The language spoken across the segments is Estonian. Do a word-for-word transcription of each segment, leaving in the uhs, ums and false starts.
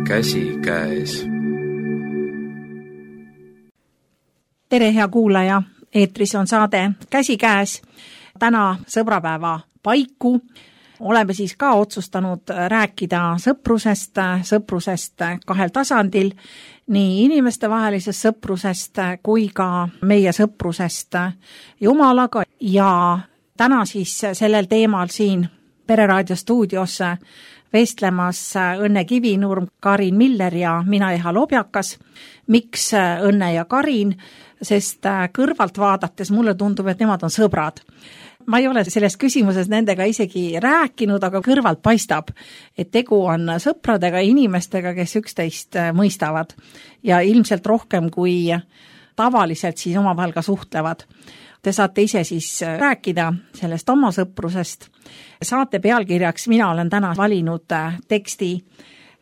Käsikäes. Tere, hea kuulaja! Eetris on saade Käsikäes. Täna sõbrapäeva paiku oleme siis ka otsustanud rääkida sõprusest, sõprusest kahel tasandil, nii inimestevahelisest sõprusest kui ka meie sõprusest Jumalaga. Ja täna siis sellel teemal siin Pereraadio stuudios vestlemas Õnne Kivinurm, Karin Miller ja mina, Eha Lobjakas. Miks Õnne ja Karin? Sest kõrvalt vaadates mulle tundub, et nemad on sõbrad. Ma ei ole selles küsimuses nendega isegi rääkinud, aga kõrvalt paistab, et tegu on sõpradega, inimestega, kes üksteist mõistavad ja ilmselt rohkem kui tavaliselt siis omavahel ka suhtlevad. Te saate ise siis rääkida sellest oma sõprusest. Saate pealkirjaks mina olen täna valinud teksti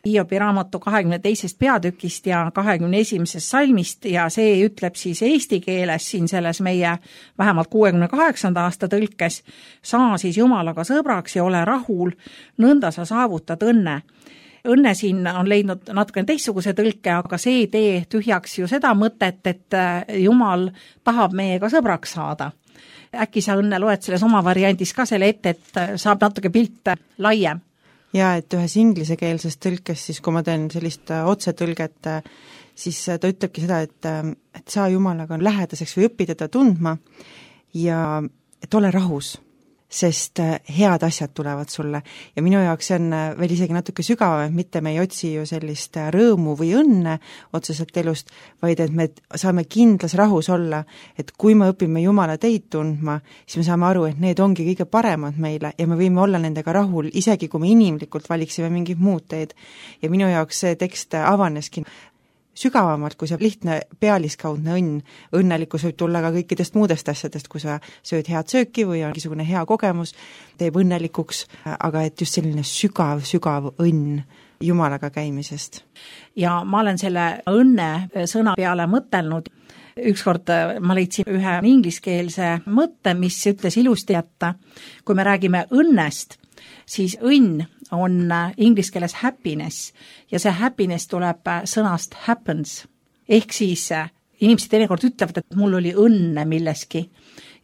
Hiobi raamatu kahekümne teisest peatükist ja kahekümne esimesest salmist ja see ütleb siis eesti keeles siin selles meie vähemalt kuuekümne kaheksanda aasta tõlkes: saa siis Jumalaga sõbraks ja ole rahul, nõnda sa saavutad õnne. Õnne siin on leidnud natuke teistsuguse tõlke, aga see ei tee tühjaks ju seda mõtet, et Jumal tahab meiega sõbraks saada. Äkki sa, Õnne, loed selles oma variandis ka selle ette, et saab natuke pilt laiem? Ja et ühes inglisekeelses tõlkes, siis kui ma teen sellist otsetõlget, siis ta ütlebki seda, et, et saa Jumalaga lähedaseks või õpi teda tundma ja et ole rahus, sest head asjad tulevad sulle. Ja minu jaoks see on veel isegi natuke sügavam, et mitte me ei otsi ju sellist rõõmu või õnne otseselt elust, vaid et me saame kindlas rahus olla, et kui me õpime Jumala teid tundma, siis me saame aru, et need ongi kõige paremad meile ja me võime olla nendega rahul, isegi kui me inimlikult valiksime mingid muud teed. Ja minu jaoks see tekst avaneski sügavamalt, kui see lihtne pealiskaudne õnn. Õnnelikkus võib tulla ka kõikidest muudest asjadest, kui sa sööd head sööki või on mingisugune hea kogemus, teeb õnnelikuks, aga et just selline sügav, sügav õnn Jumalaga käimisest. Ja ma olen selle õnne sõna peale mõtelnud. Ükskord ma leidsin ühe ingliskeelse mõtte, mis ütles ilusti, et kui me räägime õnnest, siis õnn on inglise keeles happiness ja see happiness tuleb sõnast happens. Ehk siis inimesed teinekord ütlevad, et mul oli õnne milleski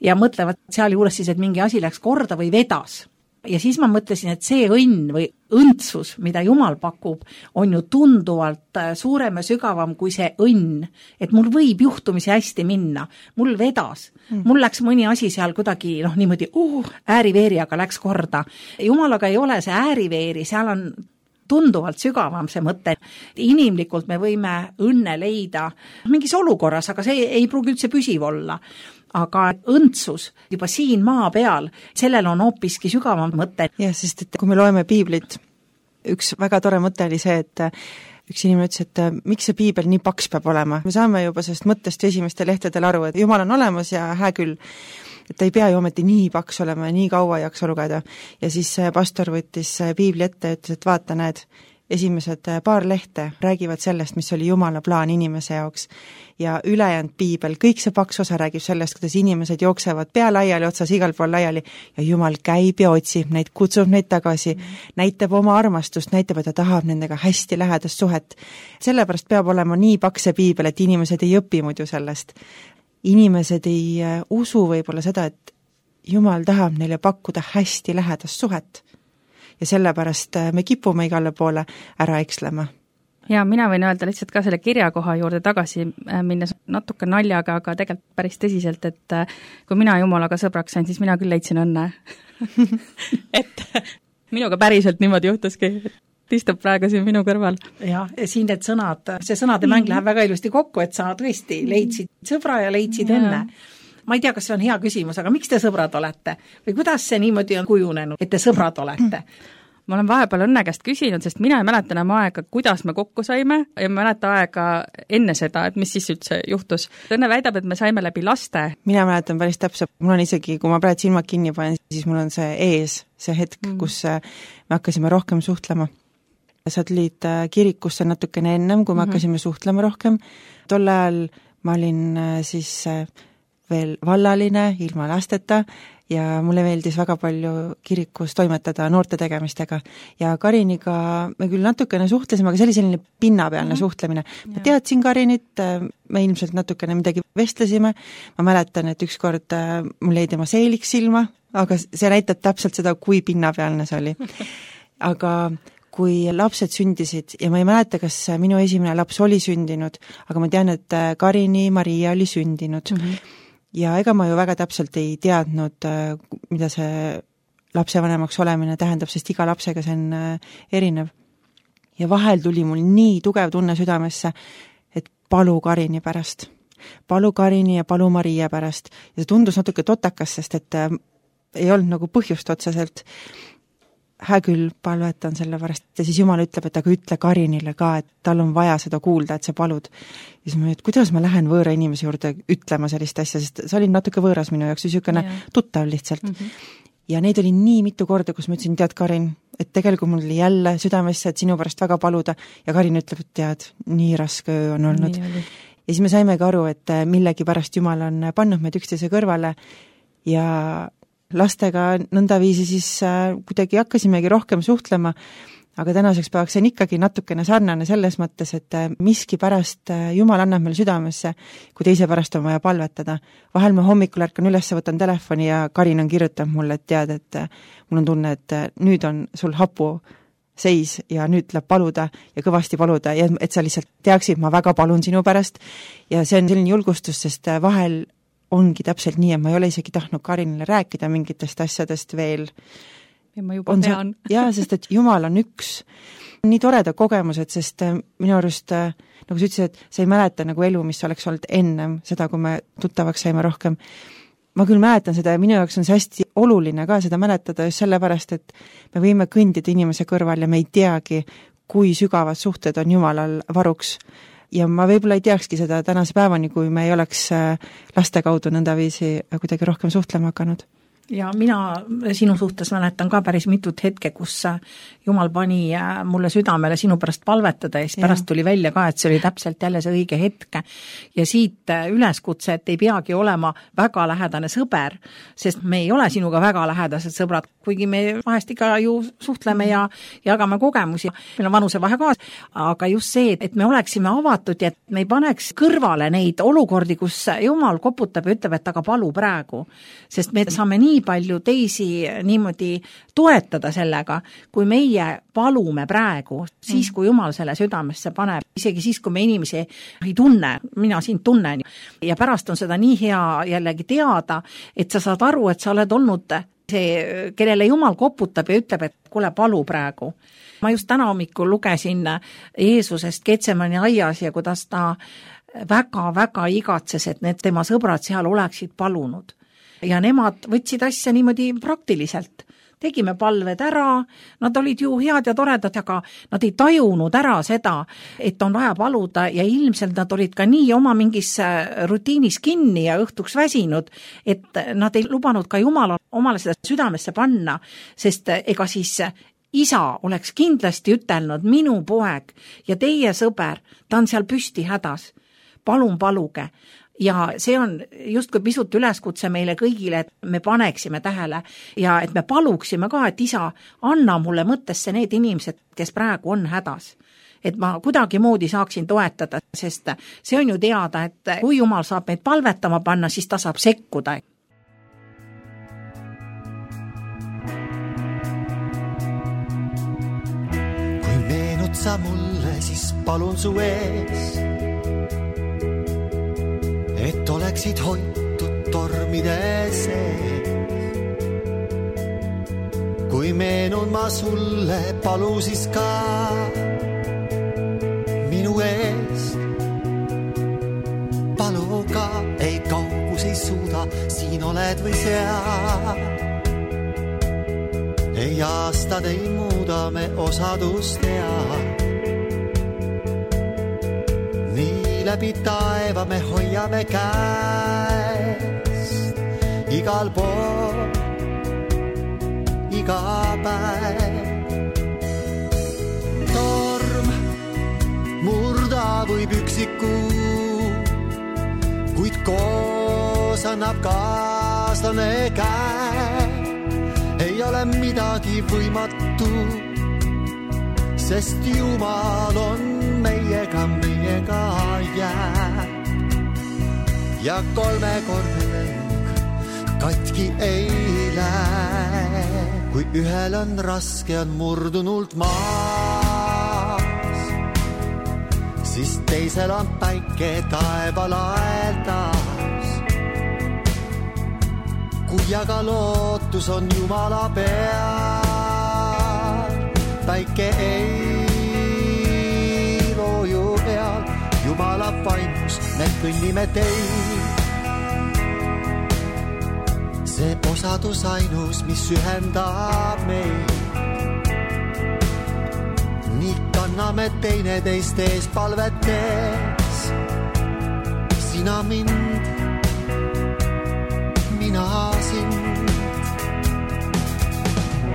ja mõtlevad seal juures siis, et mingi asi läks korda või vedas. Ja siis ma mõtlesin, et see õnn või õndsus, mida Jumal pakub, on ju tunduvalt suurem ja sügavam kui see õnn. Et mul võib juhtumisi hästi minna, mul vedas, mm. mul läks mõni asi seal kuidagi noh, niimoodi uh, ääriveeri, aga läks korda. Jumalaga ei ole see ääriveeri, seal on tunduvalt sügavam see mõte. Inimlikult me võime õnne leida mingis olukorras, aga see ei pruugi üldse püsiv olla. Aga õndsus juba siin maa peal, sellel on hoopiski sügavam mõte. Jah, sest et kui me loeme piiblit, üks väga tore mõte oli see, et üks inimene ütles, et miks see piibel nii paks peab olema. Me saame juba sellest mõttest esimeste lehtedel aru, et Jumal on olemas ja hää küll, et ta ei pea ju ometi nii paks olema ja nii kaua jaksa lugeda. Ja siis pastor võttis piibli ette ja ütles, et vaata, näed, esimesed paar lehte räägivad sellest, mis oli Jumala plaan inimese jaoks ja ülejäänud piibel, kõik see paks osa räägib sellest, kuidas inimesed jooksevad pea laiali, otsas igal pool laiali ja Jumal käib ja otsib neid, kutsub neid tagasi, mm. näitab oma armastust, näitab, et ta tahab nendega hästi lähedast suhet. Sellepärast peab olema nii paks see piibel, et inimesed ei õpi muidu sellest. Inimesed ei usu võib-olla seda, et Jumal tahab neile pakkuda hästi lähedast suhet. Ja sellepärast me kipume igale poole ära ekslema. Ja mina võin öelda lihtsalt ka selle kirjakoha juurde tagasi minnes natuke naljaga, aga tegelikult päris tõsiselt, et kui mina Jumalaga sõbraks sain, siis mina küll leidsin õnne. et minuga päriselt niimoodi juhtuski, et istub praegu siin minu kõrval. Ja siin need sõnad, see sõnade mäng läheb väga ilusti kokku, et sa tõesti leidsid sõbra ja leidsid ja. õnne. Ma ei tea, kas see on hea küsimus, aga miks te sõbrad olete? Või kuidas see niimoodi on kujunenud, et te sõbrad olete? Ma olen vahepeal Õnne käest küsinud, sest mina ei mäleta enam aega, kuidas me kokku saime ja ma mäleta aega enne seda, et mis siis üldse juhtus. Õnne väidab, et me saime läbi laste. Mina mäletan päris täpselt. Mul on isegi, kui ma praegu silmad kinni panen, siis mul on see ees, see hetk, mm. kus me hakkasime rohkem suhtlema. Sa tulid kirikusse natukene ennem, kui me mm-hmm. hakkasime suhtlema rohkem. Tol ajal ma olin siis veel vallaline, ilma lasteta ja mulle meeldis väga palju kirikus toimetada noorte tegemistega ja Kariniga me küll natukene suhtlesime, aga see oli selline pinnapealne mm-hmm. suhtlemine. Ma teadsin Karinit, me ilmselt natukene midagi vestlesime, ma mäletan, et ükskord mul jäi tema seeliks silma, aga see näitab täpselt seda, kui pinnapealne see oli. Aga kui lapsed sündisid ja ma ei mäleta, kas minu esimene laps oli sündinud, aga ma tean, et Karini Maria oli sündinud. Mm-hmm. Ja ega ma ju väga täpselt ei teadnud, mida see lapsevanemaks olemine tähendab, sest iga lapsega see on erinev. Ja vahel tuli mul nii tugev tunne südamesse, et palu Karini pärast. Palu Karini ja palu Maria pärast. Ja see tundus natuke totakas, sest et ei olnud nagu põhjust otseselt. Hää küll palvetan selle pärast ja siis Jumal ütleb, et aga ütle Karinile ka, et tal on vaja seda kuulda, et sa palud. Ja siis ma, et kuidas ma lähen võõra inimese juurde ütlema sellist asja, sest see oli natuke võõras minu jaoks, niisugune tuttav lihtsalt. Mm-hmm. Ja neid oli nii mitu korda, kus ma ütlesin, tead Karin, et tegelikult mul oli jälle südamesse, et sinu pärast väga paluda ja Karin ütleb, et tead, nii raske öö on olnud. Ja siis me saimegi aru, et millegi pärast Jumal on pannud meid üksteise kõrvale ja lastega nõndaviisi siis äh, kuidagi hakkasimegi rohkem suhtlema, aga tänaseks päevaks see on ikkagi natukene sarnane selles mõttes, et äh, miski pärast äh, Jumal annab meil südamesse, kui teise pärast on vaja palvetada. Vahel ma hommikul ärkan üles, võtan telefoni ja Karin on kirjutanud mulle, et tead, et äh, mul on tunne, et äh, nüüd on sul hapu seis ja nüüd tuleb paluda ja kõvasti paluda ja et sa lihtsalt teaksid, ma väga palun sinu pärast ja see on selline julgustus, sest äh, vahel ongi täpselt nii, et ma ei ole isegi tahtnud Karinile rääkida mingitest asjadest veel. Ja ma juba on tean. Jaa, sest et Jumal on üks. Nii toreda kogemused, sest minu arust, nagu sa ütlesid, et sa ei mäleta nagu elu, mis oleks olnud ennem seda, kui me tuttavaks saime rohkem. Ma küll mäletan seda ja minu jaoks on see hästi oluline ka seda mäletada just sellepärast, et me võime kõndida inimese kõrval ja me ei teagi, kui sügavad suhted on Jumalal varuks. Ja ma võib-olla ei teakski seda tänase päevani, kui me ei oleks laste kaudu nõndaviisi kuidagi rohkem suhtlema hakanud. Ja mina sinu suhtes mäletan ka päris mitut hetke, kus Jumal pani mulle südamele sinu pärast palvetada ja siis pärast tuli välja ka, et see oli täpselt jälle see õige hetk. Ja siit üleskutse, et ei peagi olema väga lähedane sõber, sest me ei ole sinuga väga lähedased sõbrad, kuigi me vahest ikka ju suhtleme ja jagame kogemusi. Meil on vanusevahe kaas, aga just see, et me oleksime avatud ja et me ei paneks kõrvale neid olukordi, kus Jumal koputab ja ütleb, et aga palu praegu, sest me saame nii palju teisi niimoodi toetada sellega, kui meie palume praegu, siis kui Jumal selle südamesse paneb, isegi siis, kui me inimesi ei tunne, mina sind tunnen ja pärast on seda nii hea jällegi teada, et sa saad aru, et sa oled olnud see, kellele Jumal koputab ja ütleb, et kuule, palu praegu. Ma just täna hommikul lugesin Jeesusest Getsemani aias ja kuidas ta väga-väga igatses, et need tema sõbrad seal oleksid palunud. Ja nemad võtsid asja niimoodi praktiliselt. Tegime palved ära, nad olid ju head ja toredad, aga nad ei tajunud ära seda, et on vaja paluda ja ilmselt nad olid ka nii oma mingis rutiinis kinni ja õhtuks väsinud, et nad ei lubanud ka Jumala omale seda südamesse panna, sest ega siis isa oleks kindlasti ütelnud, minu poeg ja teie sõber, ta on seal püsti hädas, palun paluge. Ja see on justkui pisut üleskutse meile kõigile, et me paneksime tähele ja et me paluksime ka, et isa, anna mulle mõttesse need inimesed, kes praegu on hädas. Et ma kuidagi moodi saaksin toetada, sest see on ju teada, et kui Jumal saab meid palvetama panna, siis ta saab sekkuda. Kui meenud sa mulle, siis palun su ees, et oleksid hoitud tormide sees. Kui meenun ma sulle, palu siis ka minu eest. Palu ka, ei kaugus ei suuda, siin oled või seal. Ei aastad ei muuda, me osadust tead. Läbi taeva me hoiame käest igal pool, iga päev. Torm murda võib üksiku, kuid koos annab ka kaaslane käe, ei ole midagi võimatu, sest Jumal on meiega, meiega jääb. Ja kolmekordne lõng katki ei lähe, kui ühel on raske, on murdunult maas, siis teisel on päike taeval aeldas. Kui aga lootus on Jumala peal, päike ei looju peal, Jumala vaimus me kõnnime teid. See osadus ainus, mis ühendab meid. Nii kanname teineteist ees palvetes. Sina mind, mina sind.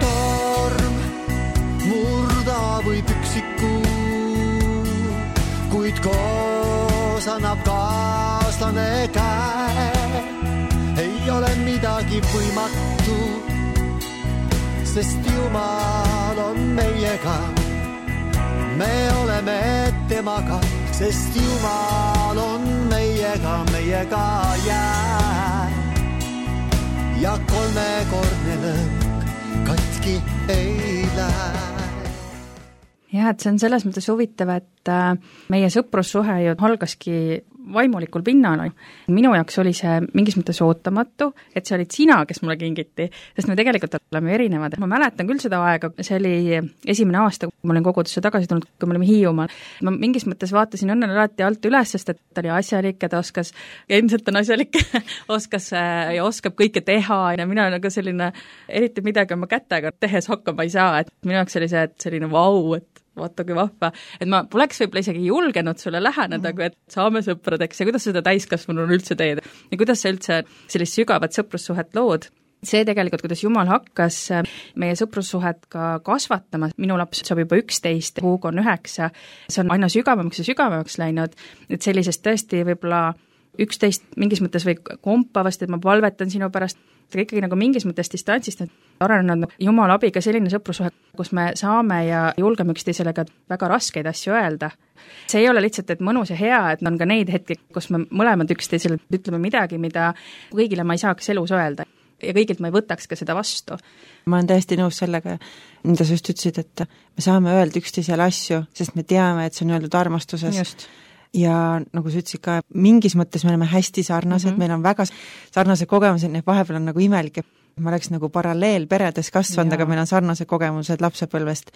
Torm murda võib üksiku, kuid koos annab kaaslane käe. Ei ole midagi võimatu, sest Jumal on meiega. Me oleme temaga, sest Jumal on meiega, meiega jääb. Ja kolmekordne lõng katki ei lähe. Jah, et see on selles mõttes huvitav, et meie sõprussuhe ju algaski vaimulikul pinnal. Minu jaoks oli see mingis mõttes ootamatu, et see olid sina, kes mulle kingiti, sest me tegelikult oleme erinevad. Ma mäletan küll seda aega, see oli esimene aasta, kui ma olin kogudusse tagasi tulnud, kui me olime Hiiumaal. Ma mingis mõttes vaatasin õnnele alati alt üles, sest et ta oli asjalik, et oskas, endiselt on asjalik, oskas ja oskab kõike teha ja mina olen ka selline, eriti midagi oma kätega tehes hakkama ei saa, et minu jaoks oli see, et selline vau, et vaata kui vahva, et ma poleks võib-olla isegi julgenud sulle läheneda, kui et saame sõpradeks ja kuidas seda täiskasvanul üldse teed ja kuidas sa üldse sellist sügavat sõprussuhet lood. See tegelikult, kuidas Jumal hakkas meie sõprussuhet ka kasvatama, minu laps saab juba üksteist, Hugo on üheksa, see on aina sügavamaks ja sügavamaks läinud, et sellisest tõesti võib-olla üksteist mingis mõttes või kompavast, et ma palvetan sinu pärast, aga ikkagi nagu mingis mõttes distantsist, et arenenud Jumal abiga selline sõprussuhe, kus me saame ja julgeme üksteisele ka väga raskeid asju öelda. See ei ole lihtsalt, et mõnus ja hea, et on ka neid hetki, kus me mõlemad üksteisele ütleme midagi, mida kõigile ma ei saaks elus öelda ja kõigilt ma ei võtaks ka seda vastu. Ma olen täiesti nõus sellega, mida sa just ütlesid, et me saame öelda üksteisele asju, sest me teame, et see on öeldud armastuses. Just. Ja nagu sa ütlesid ka, mingis mõttes me oleme hästi sarnased, mm-hmm. meil on väga sarnased kogemused, need vahepeal on nagu imelik, et ma oleks nagu paralleel peredes kasvanud, aga meil on sarnased kogemused lapsepõlvest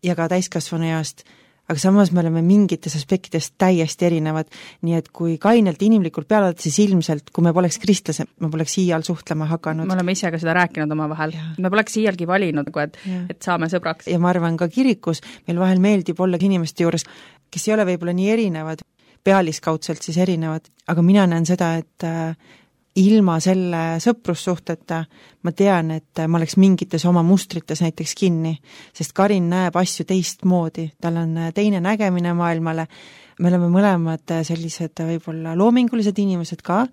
ja ka täiskasvanu east, aga samas me oleme mingites aspektides täiesti erinevad, nii et kui kainelt inimlikult peale, siis ilmselt, kui me poleks kristlased, me poleks iial suhtlema hakanud. Me oleme ise ka seda rääkinud oma vahel. Me poleks iialgi valinud, et, et saame sõbraks. Ja ma arvan ka kirikus, meil vahel meeldib olla inimeste juures, kes ei ole võib-olla nii erinevad, pealiskaudselt siis erinevad, aga mina näen seda, et ilma selle sõprussuhteta ma tean, et ma oleks mingites oma mustrites näiteks kinni, sest Karin näeb asju teistmoodi, tal on teine nägemine maailmale, me oleme mõlemad sellised võib-olla loomingulised inimesed ka,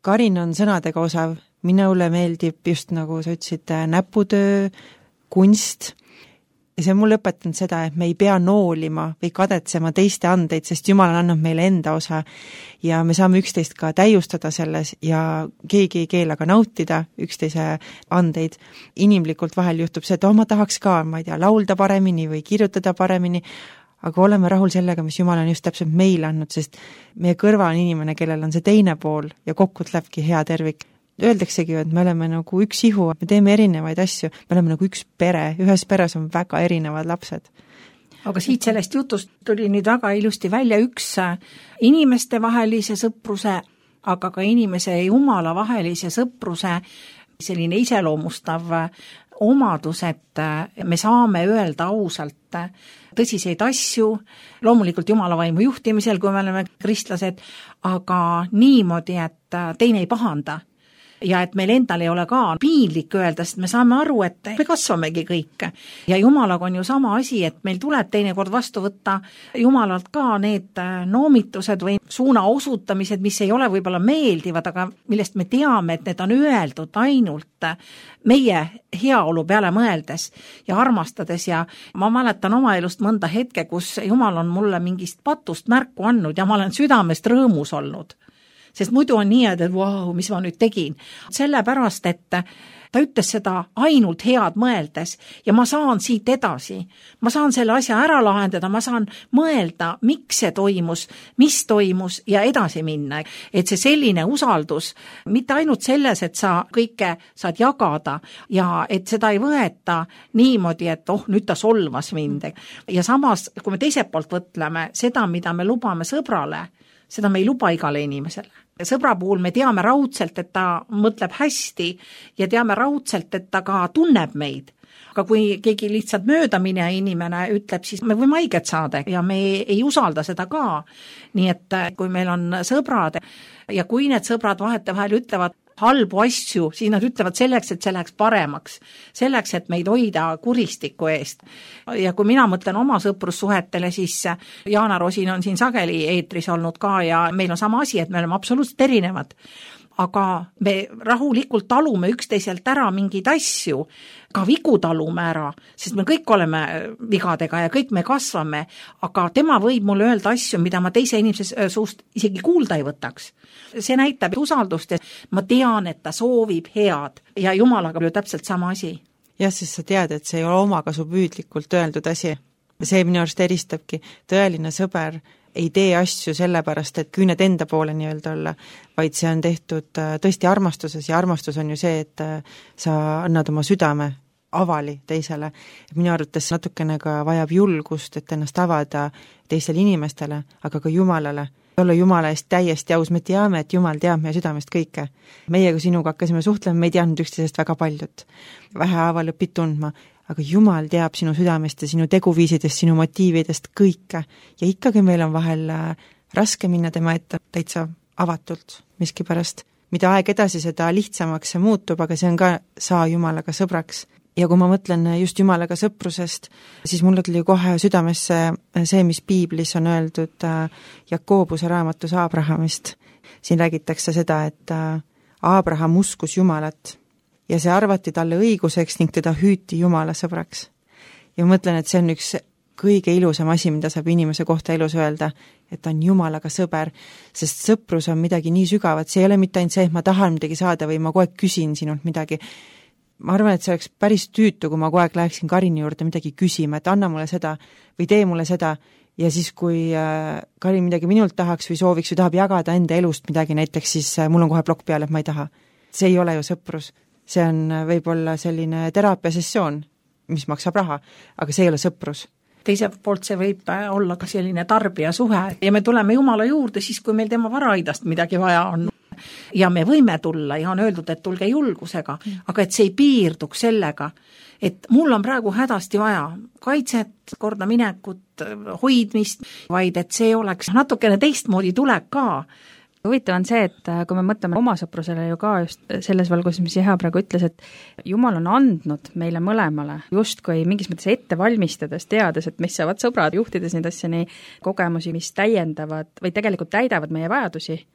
Karin on sõnadega osav, minule meeldib just nagu sa ütlesid, näputöö, kunst, ja see on mulle õpetanud seda, et me ei pea noolima või kadetsema teiste andeid, sest Jumal on andnud meile enda osa ja me saame üksteist ka täiustada selles ja keegi ei keela ka nautida üksteise andeid. Inimlikult vahel juhtub see, et oh, ma tahaks ka, ma ei tea, laulda paremini või kirjutada paremini, aga oleme rahul sellega, mis Jumal on just täpselt meile andnud, sest meie kõrval on inimene, kellel on see teine pool ja kokku tulebki hea tervik. Öeldaksegi, et me oleme nagu üks ihu, me teeme erinevaid asju, me oleme nagu üks pere, ühes peres on väga erinevad lapsed. Aga siit sellest jutust tuli nüüd väga ilusti välja üks inimeste vahelise sõpruse, aga ka inimese ja Jumala vahelise sõpruse selline iseloomustav omadus, et me saame öelda ausalt tõsiseid asju, loomulikult Jumala vaimu juhtimisel, kui me oleme kristlased, aga niimoodi, et teine ei pahanda. ja et meil endal ei ole ka piinlik öelda, sest me saame aru, et me kasvamegi kõik. Ja Jumalaga on ju sama asi, et meil tuleb teinekord vastu võtta Jumalalt ka need noomitused või suuna osutamised, mis ei ole võib-olla meeldivad, aga millest me teame, et need on öeldud ainult meie heaolu peale mõeldes ja armastades ja ma mäletan oma elust mõnda hetke, kus Jumal on mulle mingist patust märku andnud ja ma olen südamest rõõmus olnud. Sest muidu on nii, et vau, mis ma nüüd tegin. Sellepärast, et ta ütles seda ainult head mõeldes ja ma saan siit edasi. Ma saan selle asja ära lahendada, ma saan mõelda, miks see toimus, mis toimus ja edasi minna. Et see selline usaldus, mitte ainult selles, et sa kõike saad jagada ja et seda ei võeta niimoodi, et oh, nüüd ta solvas mind. Ja samas, kui me teiselt poolt võtleme, seda, mida me lubame sõbrale, seda me ei luba igale inimesele. Sõbra puhul me teame raudselt, et ta mõtleb hästi ja teame raudselt, et ta ka tunneb meid. Aga kui keegi lihtsalt möödamine inimene ütleb, siis me võime haiget saada ja me ei usalda seda ka. Nii et kui meil on sõbrad ja kui need sõbrad vahetevahel ütlevad halbu asju, siis nad ütlevad selleks, et see läheks paremaks, selleks, et meid hoida kuristiku eest. Ja kui mina mõtlen oma sõprussuhetele, siis Jaana Rosin on siin sageli eetris olnud ka ja meil on sama asi, et me oleme absoluutselt erinevad. Aga me rahulikult talume üksteiselt ära mingeid asju, ka vigu talume ära, sest me kõik oleme vigadega ja kõik me kasvame, aga tema võib mulle öelda asju, mida ma teise inimese suust isegi kuulda ei võtaks. See näitab usaldust, et ma tean, et ta soovib head ja Jumalaga ju täpselt sama asi. Jah, sest sa tead, et see ei ole omakasu püüdlikult öeldud asi. See minu arust eristabki tõeline sõber ei tee asju sellepärast, et küüned enda poole nii-öelda olla, vaid see on tehtud tõesti armastuses ja armastus on ju see, et sa annad oma südame avali teisele. Minu arvates natukene ka vajab julgust, et ennast avada teistele inimestele, aga ka Jumalale. Olla Jumala eest täiesti aus, me teame, et Jumal teab meie südamest kõike. Meie, kui sinuga hakkasime suhtlema, me ei teadnud üksteisest väga paljut. Vähehaaval õpid tundma, aga Jumal teab sinu südamest ja sinu teguviisidest, sinu motiividest kõike. Ja ikkagi meil on vahel raske minna tema ette täitsa avatult miskipärast. Mida aeg edasi, seda lihtsamaks see muutub, aga see on ka saa Jumalaga sõbraks. Ja kui ma mõtlen just Jumalaga sõprusest, siis mulle tuli kohe südamesse see, mis piiblis on öeldud Jakobuse raamatus Aabrahamist. Siin räägitakse seda, et Aabraham uskus Jumalat ja see arvati talle õiguseks ning teda hüüti Jumala sõbraks. Ja ma mõtlen, et see on üks kõige ilusam asi, mida saab inimese kohta elus öelda, et ta on Jumalaga sõber, sest sõprus on midagi nii sügavat, see ei ole mitte ainult see, et ma tahan midagi saada või ma kogu aeg küsin sinult midagi. Ma arvan, et see oleks päris tüütu, kui ma kogu aeg läheksin Karini juurde midagi küsima, et anna mulle seda või tee mulle seda ja siis, kui Karin midagi minult tahaks või sooviks või tahab jagada enda elust midagi näiteks, siis mul on kohe plokk peal, et ma ei taha. See ei ole ju sõprus. See on võib-olla selline teraapiasessioon, mis maksab raha, aga see ei ole sõprus. Teiselt poolt see võib olla ka selline tarbijasuhe ja me tuleme Jumala juurde siis, kui meil tema varaidast midagi vaja on. Ja me võime tulla ja on öeldud, et tulge julgusega, aga et see ei piirduks sellega, et mul on praegu hädasti vaja kaitset, korda minekut, hoidmist, vaid et see oleks natukene teistmoodi tulek ka. Huvitav on see, et kui me mõtleme oma sõprusele ju ka just selles valguses, mis Jeha praegu ütles, et Jumal on andnud meile mõlemale justkui mingis mõttes ette valmistades, teades, et mis saavad sõbrad, juhtides neid asja nii kogemusi, mis täiendavad või tegelikult täidavad meie vajadusi.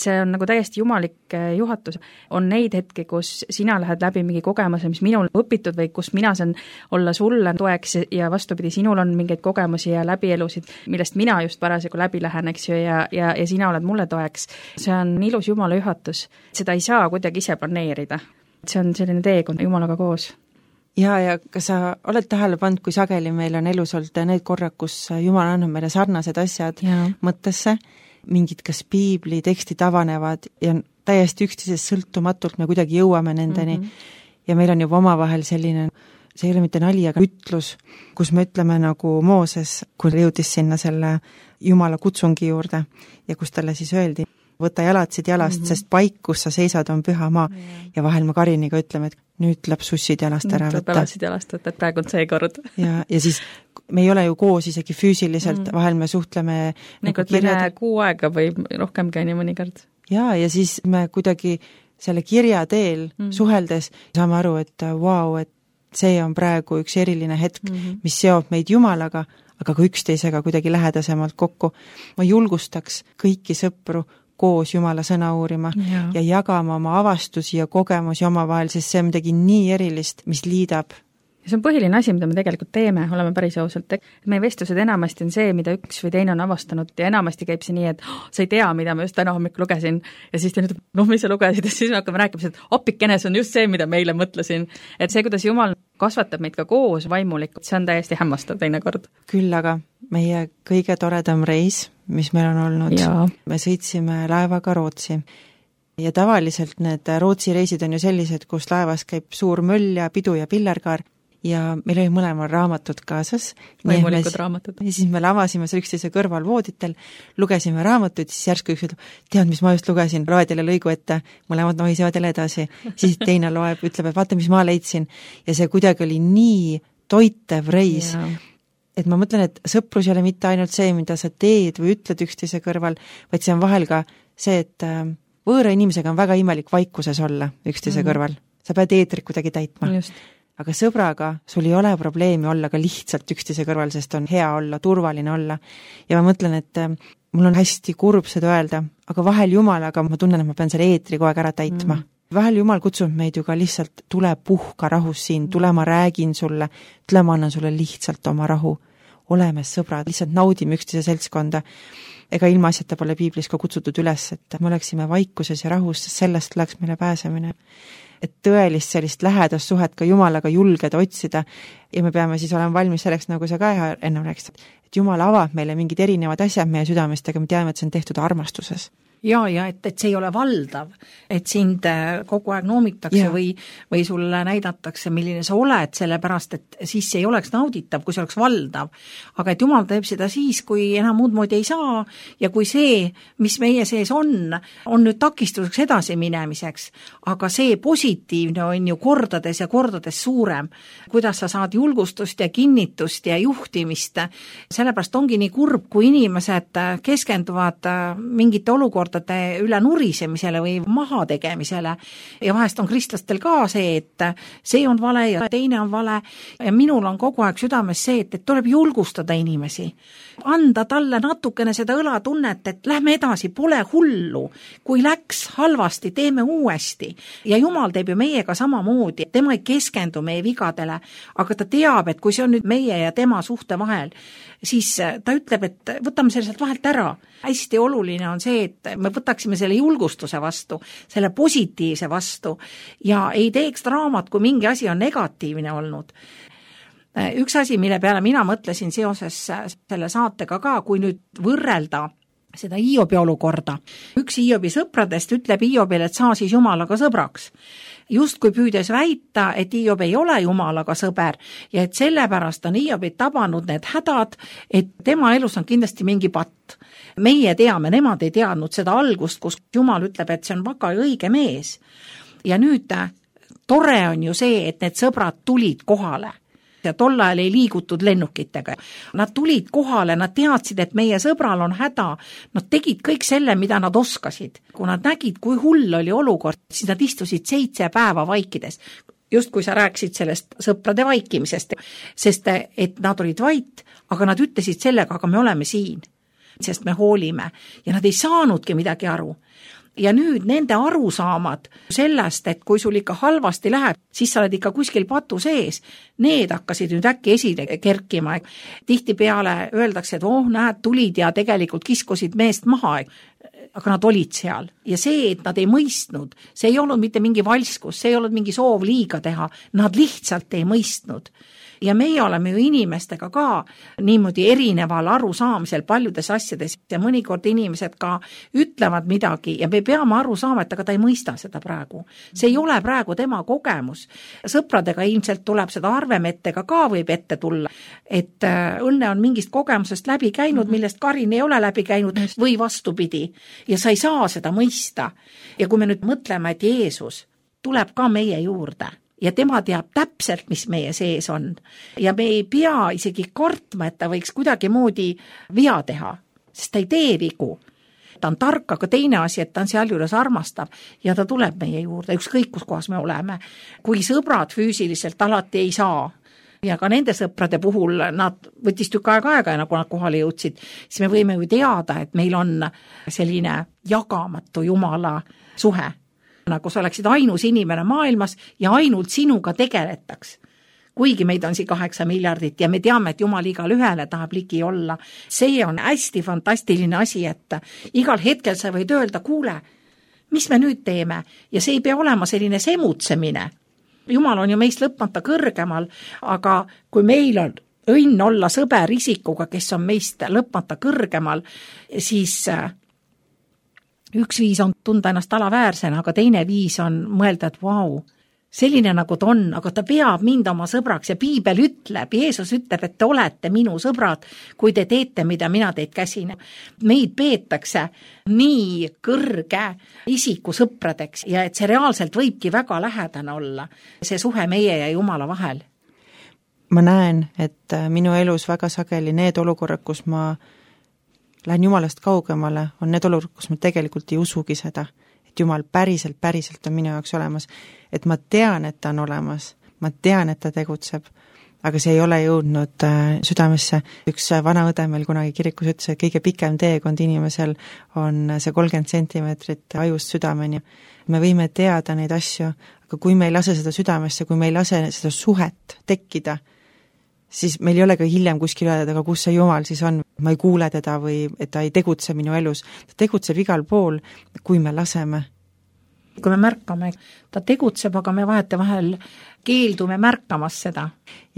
See on nagu täiesti jumalik juhatus. On neid hetki, kus sina lähed läbi mingi kogemuse, mis minul õpitud või kus mina saan olla sulle toeks ja vastupidi, sinul on mingeid kogemusi ja läbielusid, millest mina just parasjagu läbi lähen, eks ju, ja, ja, ja sina oled mulle toeks. See on ilus Jumala juhatus. Seda ei saa kuidagi ise planeerida. See on selline teekond Jumalaga koos. Ja, ja kas sa oled tähele pannud, kui sageli meil on elus olnud need korrad, kus Jumal annab meile sarnased asjad ja. Mõttesse, mingid kas piibli tekstid avanevad ja täiesti üksteisest sõltumatult me kuidagi jõuame nendeni mm -hmm. ja meil on juba omavahel selline, see ei ole mitte nali, aga ütlus, kus me ütleme nagu Mooses, kui jõudis sinna selle Jumala kutsungi juurde ja kus talle siis öeldi, võta jalatsid jalast, mm -hmm. sest paik, kus sa seisad, on püha maa. Yeah. Ja vahel me Kariniga ütleme, et nüüd tuleb sussid jalast ära võtta. Nüüd tuleb jalatsid jalast võtta, et praegu on see kord. Ja, ja siis me ei ole ju koos isegi füüsiliselt, mm. vahel me suhtleme nagu kirjad. Kuu aega või rohkem käini mõnikord. Ja, ja siis me kuidagi selle kirja teel mm. suheldes saame aru, et vau, wow, et see on praegu üks eriline hetk, mm-hmm. mis seob meid Jumalaga, aga ka üksteisega kuidagi lähedasemalt kokku. Ma julgustaks kõiki sõpru koos Jumala sõna uurima ja, ja jagama oma avastusi ja kogemusi omavahel, sest see on midagi nii erilist, mis liidab. Ja see on põhiline asi, mida me tegelikult teeme, oleme päris ausalt. Meie vestlused enamasti on see, mida üks või teine on avastanud ja enamasti käib see nii, et oh, sa ei tea, mida ma just täna hommikul lugesin ja siis te nüüd, noh, mis sa lugesid ja siis me hakkame rääkima, et appikene, see on just see, mida meile mõtlesin. Et see, kuidas Jumal kasvatab meid ka koos vaimulikult, see on täiesti hämmastav teinekord. Küll aga meie kõige toredam reis, mis meil on olnud, ja. Me sõitsime laevaga Rootsi. Ja tavaliselt need Rootsi reisid on ju sellised, kus laevas käib suur möll ja pidu ja pillerkaar. Ja meil oli mõlemal raamatud kaasas. Võimulikud raamatud. Ja siis me lavasime seal üksteise kõrval vooditel, lugesime raamatuid, siis järsku üks ütleb, tead, mis ma just lugesin, loed jälle lõigu ette, mõlemad nohisevad jälle edasi. Siis teine loeb, ütleb, et vaata, mis ma leidsin. Ja see kuidagi oli nii toitev reis, ja. Et ma mõtlen, et sõprus ei ole mitte ainult see, mida sa teed või ütled üksteise kõrval, vaid see on vahel ka see, et võõra inimesega on väga imelik vaikuses olla üksteise mm-hmm. kõrval. Sa pead eetrit kuidagi täitma. Just. Aga sõbraga sul ei ole probleemi olla ka lihtsalt üksteise kõrval, sest on hea olla, turvaline olla. Ja ma mõtlen, et mul on hästi kurb seda öelda, aga vahel Jumalaga ma tunnen, et ma pean selle eetri kogu aeg ära täitma. Mm. Vahel Jumal kutsub meid ju ka lihtsalt, tule puhka rahus siin, tule ma räägin sulle, tule ma annan sulle lihtsalt oma rahu. Oleme sõbrad, lihtsalt naudime üksteise seltskonda. Ega ilma asjata pole piiblis ka kutsutud üles, et me oleksime vaikuses ja rahus, sest sellest läks meile pääsemine. Et tõelist sellist lähedast suhet ka Jumalaga julgeda otsida ja me peame siis olema valmis selleks, nagu sa ka ennem rääkisid, et Jumal avab meile mingid erinevad asjad meie südamest, aga me teame, et see on tehtud armastuses. Ja, ja et, et see ei ole valdav, et sind kogu aeg noomitakse ja. või, või sulle näidatakse, milline sa oled, sellepärast, et siis see ei oleks nauditav, kui see oleks valdav. Aga et Jumal teeb seda siis, kui enam muud moodi ei saa ja kui see, mis meie sees on, on nüüd takistuseks edasi minemiseks, aga see positiivne on ju kordades ja kordades suurem, kuidas sa saad julgustust ja kinnitust ja juhtimist. Sellepärast ongi nii kurb, kui inimesed keskenduvad mingite olukordade üle nurisemisele või maha tegemisele. Ja vahest on kristlastel ka see, et see on vale ja teine on vale. Ja minul on kogu aeg südames see, et, et tuleb julgustada inimesi. Anda talle natukene seda õlatunnet, et lähme edasi, pole hullu. Kui läks halvasti, teeme uuesti. Ja Jumal teeb ju meiega samamoodi. Tema ei keskendu meie vigadele, aga ta teab, et kui see on nüüd meie ja tema suhte vahel, siis ta ütleb, et võtame selle sealt vahelt ära. Hästi oluline on see, et me võtaksime selle julgustuse vastu, selle positiivse vastu ja ei teeks draamat, kui mingi asi on negatiivne olnud. Üks asi, mille peale mina mõtlesin seoses selle saatega ka, kui nüüd võrrelda seda Hiobi olukorda. Üks Hiobi sõpradest ütleb Hiobile, et saa siis Jumalaga sõbraks. Just kui püüdes väita, et Hiob ei ole Jumalaga sõber ja et sellepärast on Hiobit tabanud need hädad, et tema elus on kindlasti mingi patt. Meie teame, nemad ei teadnud seda algust, kus Jumal ütleb, et see on väga õige mees. Ja nüüd tore on ju see, et need sõbrad tulid kohale. Ja tol ajal ei liigutud lennukitega. Nad tulid kohale, nad teadsid, et meie sõbral on häda. Nad tegid kõik selle, mida nad oskasid. Kui nad nägid, kui hull oli olukord, siis nad istusid seitse päeva vaikides. Just kui sa rääkisid sellest sõprade vaikimisest, sest et nad olid vait, aga nad ütlesid sellega, aga me oleme siin, sest me hoolime. Ja nad ei saanudki midagi aru. Ja nüüd nende arusaamad sellest, et kui sul ikka halvasti läheb, siis sa oled ikka kuskil patu sees, need hakkasid nüüd äkki esile kerkima. Tihtipeale öeldakse, et oh, näed, tulid ja tegelikult kiskusid meest maha, aga nad olid seal. Ja see, et nad ei mõistnud, see ei olnud mitte mingi valskus, see ei olnud mingi soov liiga teha, nad lihtsalt ei mõistnud. Ja meie oleme ju inimestega ka niimoodi erineval arusaamisel paljudes asjades ja mõnikord inimesed ka ütlevad midagi ja me peame aru saama, et aga ta ei mõista seda praegu. See ei ole praegu tema kogemus. Sõpradega ilmselt tuleb seda arvemettega ka võib ette tulla, et õnne on mingist kogemusest läbi käinud, millest Karin ei ole läbi käinud või vastupidi ja sa ei saa seda mõista. Ja kui me nüüd mõtleme, et Jeesus tuleb ka meie juurde, ja tema teab täpselt, mis meie sees on. Ja me ei pea isegi kartma, et ta võiks kuidagi moodi vea teha, sest ta ei tee vigu. et ta on tark, aga teine asi, et ta on sealjuures armastav ja ta tuleb meie juurde, ükskõik kus kohas me oleme. Kui sõbrad füüsiliselt alati ei saa ja ka nende sõprade puhul nad võttis tükk aega aega ja nagu nad kohale jõudsid, siis me võime ju teada, et meil on selline jagamatu Jumala suhe, nagu sa oleksid ainus inimene maailmas ja ainult sinuga tegeletaks. Kuigi meid on siin kaheksa miljardit ja me teame, et Jumal igal ühele tahab ligi olla. See on hästi fantastiline asi, et igal hetkel sa võid öelda, kuule, mis me nüüd teeme? Ja see ei pea olema selline semutsemine. Jumal on ju meist lõpmata kõrgemal, aga kui meil on õnn olla sõber isikuga, kes on meist lõpmata kõrgemal, siis üks viis on tunda ennast alaväärsena, aga teine viis on mõelda, et vau, wow, selline nagu ta on, aga ta peab mind oma sõbraks ja piibel ütleb, Jeesus ütleb, et te olete minu sõbrad, kui te teete, mida mina teid käsin. Meid peetakse nii kõrge isiku sõpradeks ja et see reaalselt võibki väga lähedane olla, see suhe meie ja Jumala vahel. Ma näen, et minu elus väga sageli need olukorrad, kus ma lähen Jumalast kaugemale, on need olukorrad, kus ma tegelikult ei usugi seda, et Jumal päriselt, päriselt on minu jaoks olemas, et ma tean, et ta on olemas, ma tean, et ta tegutseb, aga see ei ole jõudnud südamesse. Üks vana õde meil kunagi kirikus ütles, et kõige pikem teekond inimesel on see kolmkümmend sentimeetrit ajust südameni. Me võime teada neid asju, aga kui me ei lase seda südamesse, kui me ei lase seda suhet tekkida, siis meil ei ole ka hiljem kuskil öelda, aga kus see Jumal siis on, ma ei kuule teda või et ta ei tegutse minu elus. Ta tegutseb igal pool, kui me laseme. Kui me märkame, ta tegutseb, aga me vahete vahel keeldume märkamas seda.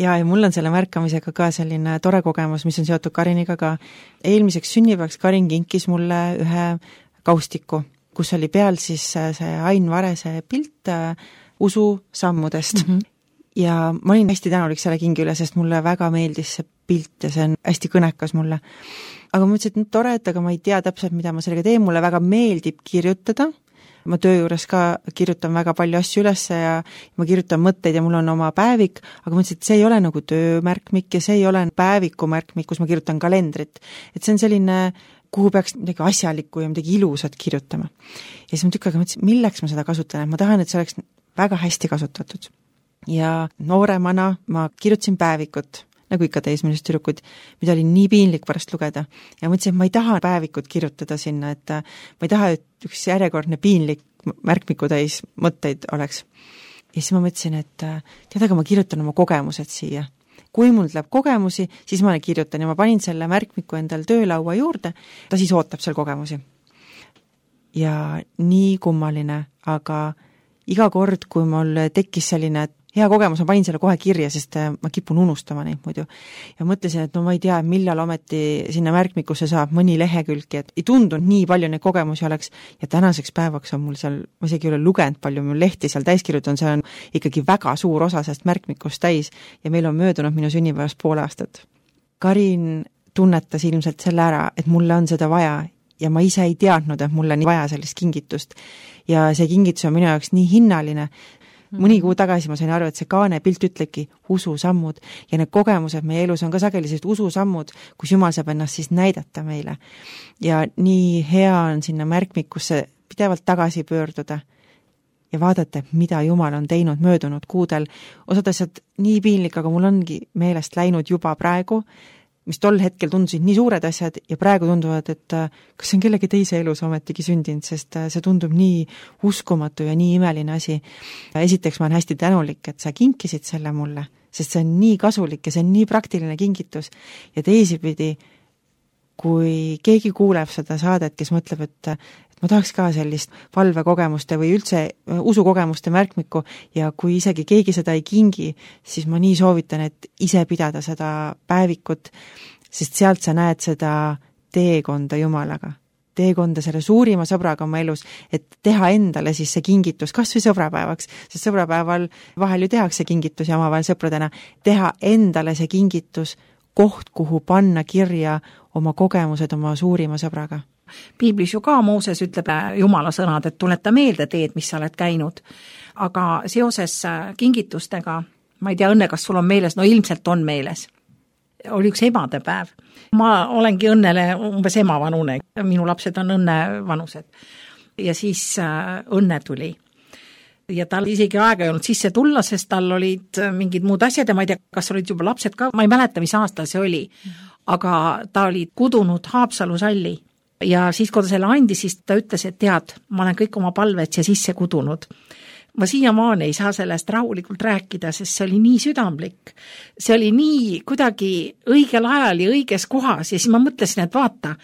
Ja, ja mul on selle märkamisega ka selline tore kogemus, mis on seotud Kariniga ka. Eelmiseks sünnipäevaks Karin kinkis mulle ühe kaustiku, kus oli peal siis see Ain Varese pilt usu sammudest. Mm-hmm. Ja ma olin hästi tänulik selle kingi üle, sest mulle väga meeldis see pilt ja see on hästi kõnekas mulle. Aga ma ütlesin, et tore, et aga ma ei tea täpselt, mida ma sellega teen, mulle väga meeldib kirjutada. Ma töö juures ka kirjutan väga palju asju üles ja ma kirjutan mõtteid ja mul on oma päevik, aga ma ütlesin, et see ei ole nagu töömärkmik ja see ei ole päeviku märkmik, kus ma kirjutan kalendrit. Et see on selline, kuhu peaks midagi asjalikku ja midagi ilusat kirjutama. Ja siis ma tükk aega mõtlesin, milleks ma seda kasutan, et ma tahan, et see oleks väga hästi kasutatud. Ja nooremana ma kirjutasin päevikut, nagu ikka teismelised tüdrukud, mida oli nii piinlik pärast lugeda. Ja mõtlesin, et ma ei taha päevikut kirjutada sinna, et ma ei taha, et üks järjekordne piinlik märkmiku täis mõtteid oleks. Ja siis ma mõtlesin, et tead, aga ma kirjutan oma kogemused siia. Kui mul tuleb kogemusi, siis ma kirjutan ja ma panin selle märkmiku endal töölaua juurde, ta siis ootab seal kogemusi. Ja nii kummaline, aga iga kord, kui mul tekkis selline hea kogemus, ma panin selle kohe kirja, sest ma kipun unustama neid muidu. Ja mõtlesin, et no ma ei tea, millal ometi sinna märkmikusse saab mõni lehekülgi, et ei tundunud nii palju neid kogemusi oleks ja tänaseks päevaks on mul seal, ma isegi ei ole lugenud palju, mul lehti seal täiskirjutan, see on ikkagi väga suur osa sellest märkmikust täis ja meil on möödunud minu sünnipäevast pool aastat. Karin tunnetas ilmselt selle ära, et mulle on seda vaja ja ma ise ei teadnud, et mulle on vaja sellist kingitust ja see kingitus on minu jaoks nii hinnaline. Mõni kuu tagasi ma sain aru, et see kaane pilt ütlebki ususammud ja need kogemused meie elus on ka sageli sellised ususammud, kus Jumal saab ennast siis näidata meile. Ja nii hea on sinna märkmikusse pidevalt tagasi pöörduda ja vaadata, mida Jumal on teinud möödunud kuudel. Osad asjad nii piinlik, aga mul ongi meelest läinud juba praegu, mis tol hetkel tundusid nii suured asjad ja praegu tunduvad, et kas see on kellegi teise elus ometigi sündinud, sest see tundub nii uskumatu ja nii imeline asi. Esiteks ma olen hästi tänulik, et sa kinkisid selle mulle, sest see on nii kasulik ja see on nii praktiline kingitus ja teisipidi, kui keegi kuuleb seda saadet, kes mõtleb, et, et ma tahaks ka sellist valvekogemuste või üldse usukogemuste märkmikku ja kui isegi keegi seda ei kingi, siis ma nii soovitan, et ise pidada seda päevikut, sest sealt sa näed seda teekonda Jumalaga. Teekonda selle suurima sõbraga oma elus, et teha endale siis see kingitus, kas või sõbrapäevaks, sest sõbrapäeval vahel ju tehakse kingitusi omavahel sõpradena, teha endale see kingitus, koht, kuhu panna kirja oma kogemused oma suurima sõbraga. Piiblis ju ka Mooses ütleb Jumala sõnad, et tuleta meelde teed, mis sa oled käinud. Aga seoses kingitustega, ma ei tea, õnne, kas sul on meeles, no ilmselt on meeles. oli üks emadepäev. Ma olengi õnnele umbes ema vanune, minu lapsed on õnne vanused. Ja siis õnne tuli. Ja tal isegi aega ei olnud sisse tulla, sest tal olid mingid muud asjad ja ma ei tea, kas olid juba lapsed ka, ma ei mäleta, mis aasta see oli, aga ta oli kudunud Haapsalu salli. Ja siis, kui ta selle andis, siis ta ütles, et tead, ma olen kõik oma palved siia sisse kudunud. Ma siiamaani ei saa sellest rahulikult rääkida, sest see oli nii südamlik. See oli nii kuidagi õigel ajal ja õiges kohas ja siis ma mõtlesin, et vaata,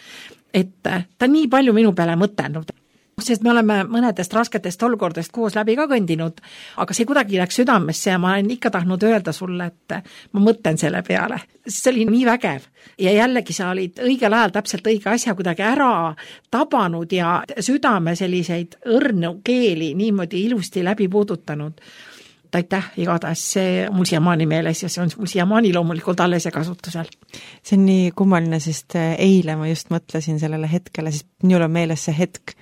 et ta nii palju minu peale mõtelnud. Sest me oleme mõnedest rasketest olukordest koos läbi ka kõndinud, aga see kuidagi läks südamesse ja ma olen ikka tahtnud öelda sulle, et ma mõtlen selle peale. See oli nii vägev ja jällegi sa olid õigel ajal täpselt õige asja kuidagi ära tabanud ja südame selliseid õrnu keeli niimoodi ilusti läbi puudutanud. Aitäh, igatahes see mul siiamaani meeles ja see on mul siiamaani loomulikult alles ja kasutusel. See on nii kummaline, sest eile ma just mõtlesin sellele hetkele, sest minul on meeles see hetk,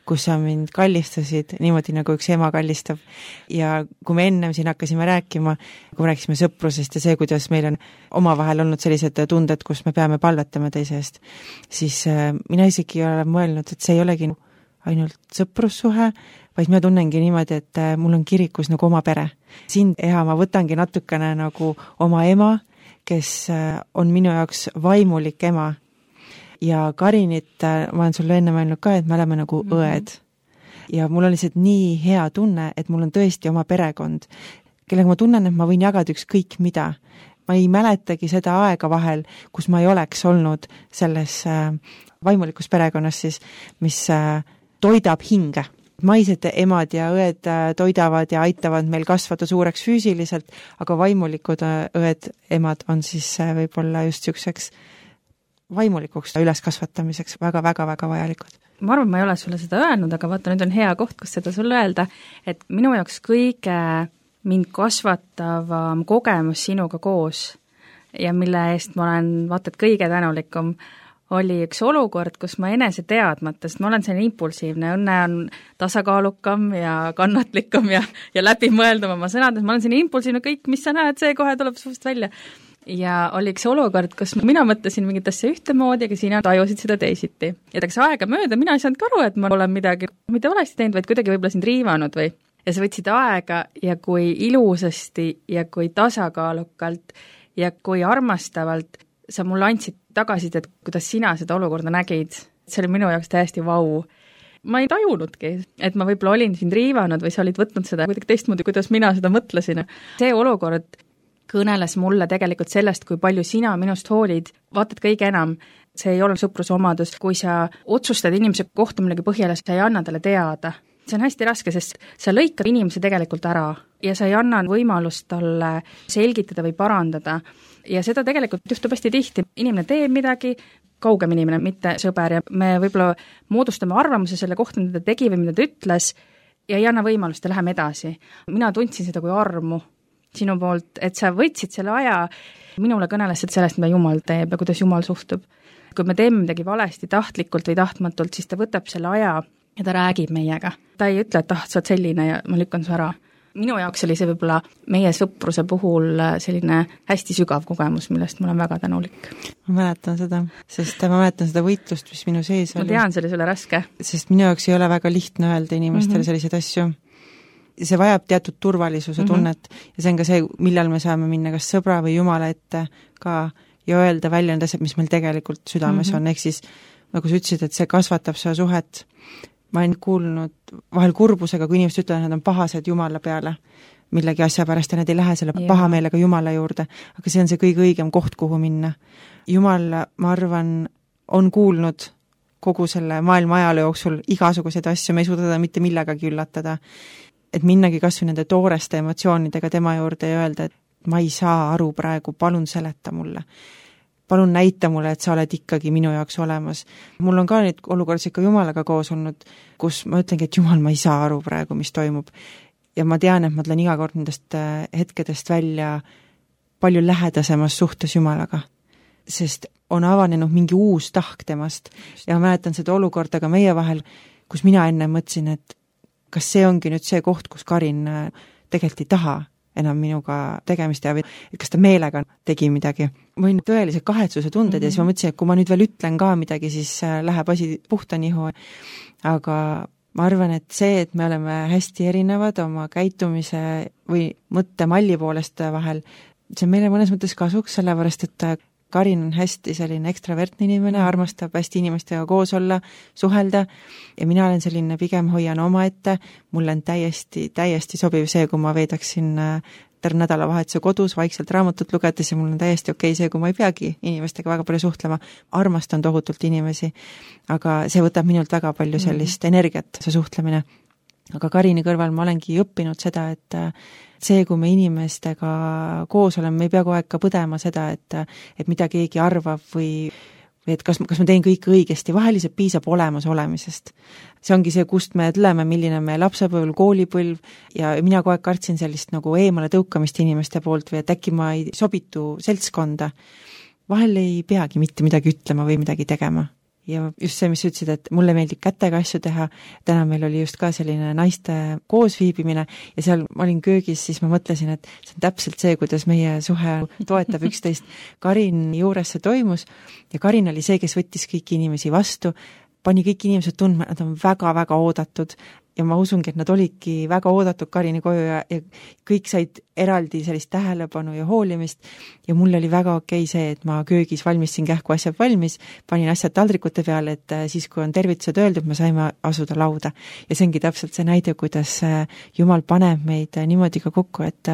kus sa mind kallistasid niimoodi, nagu üks ema kallistab. Ja kui me ennem siin hakkasime rääkima, kui me rääkisime sõprusest ja see, kuidas meil on omavahel olnud sellised tunded, kus me peame palvetama teise eest, siis mina isegi olen mõelnud, et see ei olegi ainult sõprussuhe, vaid ma tunnengi niimoodi, et mul on kirikus nagu oma pere. Sind, Eha, ma võtangi natukene nagu oma ema, kes on minu jaoks vaimulik ema. Ja Karinit, ma olen sulle enne mõelnud ka, et me oleme nagu mm-hmm. õed. Ja mul on lihtsalt nii hea tunne, et mul on tõesti oma perekond, kellega ma tunnen, et ma võin jagada ükskõik mida. Ma ei mäletagi seda aega vahel, kus ma ei oleks olnud selles vaimulikus perekonnas siis, mis toidab hinge. Maised emad ja õed toidavad ja aitavad meil kasvada suureks füüsiliselt, aga vaimulikud õed emad on siis võib-olla just niisuguseks vaimulikuks üleskasvatamiseks väga-väga-väga vajalikud. Ma arvan, ma ei ole sulle seda öelnud, aga vaata, nüüd on hea koht, kus seda sulle öelda, et minu jaoks kõige mind kasvatavam kogemus sinuga koos ja mille eest ma olen vaata, et kõige tänulikum oli üks olukord, kus ma enese teadmata, sest ma olen selline impulsiivne, õnne on tasakaalukam ja kannatlikum ja, ja läbimõeldum oma sõnades, ma olen selline impulsiivne, kõik, mis sa näed, see kohe tuleb suust välja. Ja oli üks olukord, kus mina mõtlesin mingit asja ühtemoodi, aga sina tajusid seda teisiti. Ja taks aega mööda, mina ei saanud aru, et ma olen midagi mitte valesti teinud, vaid kuidagi võib-olla sind riivanud või. Ja sa võtsid aega ja kui ilusasti ja kui tasakaalukalt ja kui armastavalt sa mulle andsid tagasid, et kuidas sina seda olukorda nägid. See oli minu jaoks täiesti vau. Ma ei tajunudki, et ma võib-olla olin sind riivanud või sa olid võtnud seda kuidagi teistmoodi, kuidas mina seda mõtlesin. See olukord kõneles mulle tegelikult sellest, kui palju sina minust hoolid, vaatad kõige enam. See ei ole sõpruse omadus, kui sa otsustad inimese kohta millegi põhjale, sa ei anna talle teada. See on hästi raske, sest sa lõikad inimese tegelikult ära ja sa ei anna võimalust talle selgitada või parandada. Ja seda tegelikult juhtub hästi tihti. Inimene teeb midagi, kaugem inimene, mitte sõber ja me võib-olla moodustame arvamuse selle kohta, mida ta tegi või mida ta ütles ja ei anna võimalust ja läheme edasi. Mina tundsin seda kui armu sinu poolt, et sa võtsid selle aja, minule kõnelesid sellest, mida Jumal teeb ja kuidas Jumal suhtub. Kui me teeme midagi valesti tahtlikult või tahtmatult, siis ta võtab selle aja ja ta räägib meiega. Ta ei ütle, et ah, sa oled selline ja ma lükkan su ära. Minu jaoks oli see võib-olla meie sõpruse puhul selline hästi sügav kogemus, millest ma olen väga tänulik. Ma mäletan seda, sest ma mäletan seda võitlust, mis minu sees oli. Ma tean, see oli sulle raske. Sest minu jaoks ei ole väga lihtne öelda inimestele mm-hmm. selliseid asju. See vajab teatud turvalisuse tunnet mm-hmm. ja see on ka see, millal me saame minna kas sõbra või Jumala ette ka ja öelda välja need asjad, mis meil tegelikult südames mm-hmm. on. Ehk siis, nagu sa ütlesid, et see kasvatab seda suhet. Ma olen kuulnud vahel kurbusega, kui inimesed ütlevad, et nad on pahased Jumala peale millegi asja pärast ja nad ei lähe selle ja. pahameelega Jumala juurde. Aga see on see kõige õigem koht, kuhu minna. Jumal, ma arvan, on kuulnud kogu selle maailma ajaloo jooksul igasuguseid asju, me ei suuda teda mitte millegagi üllatada. Et minnagi kasvõi nende tooreste emotsioonidega tema juurde ja öelda, et ma ei saa aru praegu, palun seleta mulle. Palun näita mulle, et sa oled ikkagi minu jaoks olemas. Mul on ka neid olukorras ikka Jumalaga koos olnud, kus ma ütlengi, et Jumal, ma ei saa aru praegu, mis toimub. Ja ma tean, et ma tulen iga kord nendest hetkedest välja palju lähedasemas suhtes Jumalaga. Sest on avanenud mingi uus tahk temast. Ja ma mäletan seda olukorda ka meie vahel, kus mina enne mõtlesin, et kas see ongi nüüd see koht, kus Karin tegelikult ei taha enam minuga tegemist ja et kas ta meelega tegi midagi. Ma võin tõelise kahetsuse tunded mm-hmm. ja siis ma mõtlesin, et kui ma nüüd veel ütlen ka midagi, siis läheb asi puhta nihu. Aga ma arvan, et see, et me oleme hästi erinevad oma käitumise või mõttemalli poolest vahel, see on meile mõnes mõttes kasuks, sellepärast et Karin on hästi selline ekstravertne inimene, armastab hästi inimestega koos olla, suhelda ja mina olen selline pigem hoian oma ette, mulle on täiesti, täiesti sobiv see, kui ma veedaksin terve nädalavahetuse kodus vaikselt raamatut lugedes ja mul on täiesti okei see, kui ma ei peagi inimestega väga palju suhtlema, armastan tohutult inimesi, aga see võtab minult väga palju sellist mm-hmm. energiat, see suhtlemine. Aga Karini kõrval ma olengi õppinud seda, et see, kui me inimestega koos oleme, me ei pea kogu aeg ka põdema seda, et, et mida keegi arvab või, või et kas, kas ma teen kõik õigesti, vaheliselt piisab olemas olemisest. See ongi see, kust me tuleme, milline me lapsepõlv, koolipõlv ja mina kogu aeg kartsin sellist nagu eemale tõukamist inimeste poolt või et äkki ma ei sobitu seltskonda. Vahel ei peagi mitte midagi ütlema või midagi tegema. Ja just see, mis ütlesid, et mulle meeldib kätega asju teha, täna meil oli just ka selline naiste koosviibimine ja seal ma olin köögis, siis ma mõtlesin, et see on täpselt see, kuidas meie suhe toetab üksteist. Karin juures see toimus ja Karin oli see, kes võttis kõiki inimesi vastu, pani kõik inimesed tundma, nad on väga-väga oodatud ja ma usungi, et nad olidki väga oodatud Karini koju ja, ja kõik said eraldi sellist tähelepanu ja hoolimist ja mul oli väga okei see, et ma köögis valmistasin kähku asjad valmis, panin asjad taldrikute peale, et siis, kui on tervitused öeldud, me saime asuda lauda. Ja see ongi täpselt see näide, kuidas Jumal paneb meid niimoodi ka kokku, et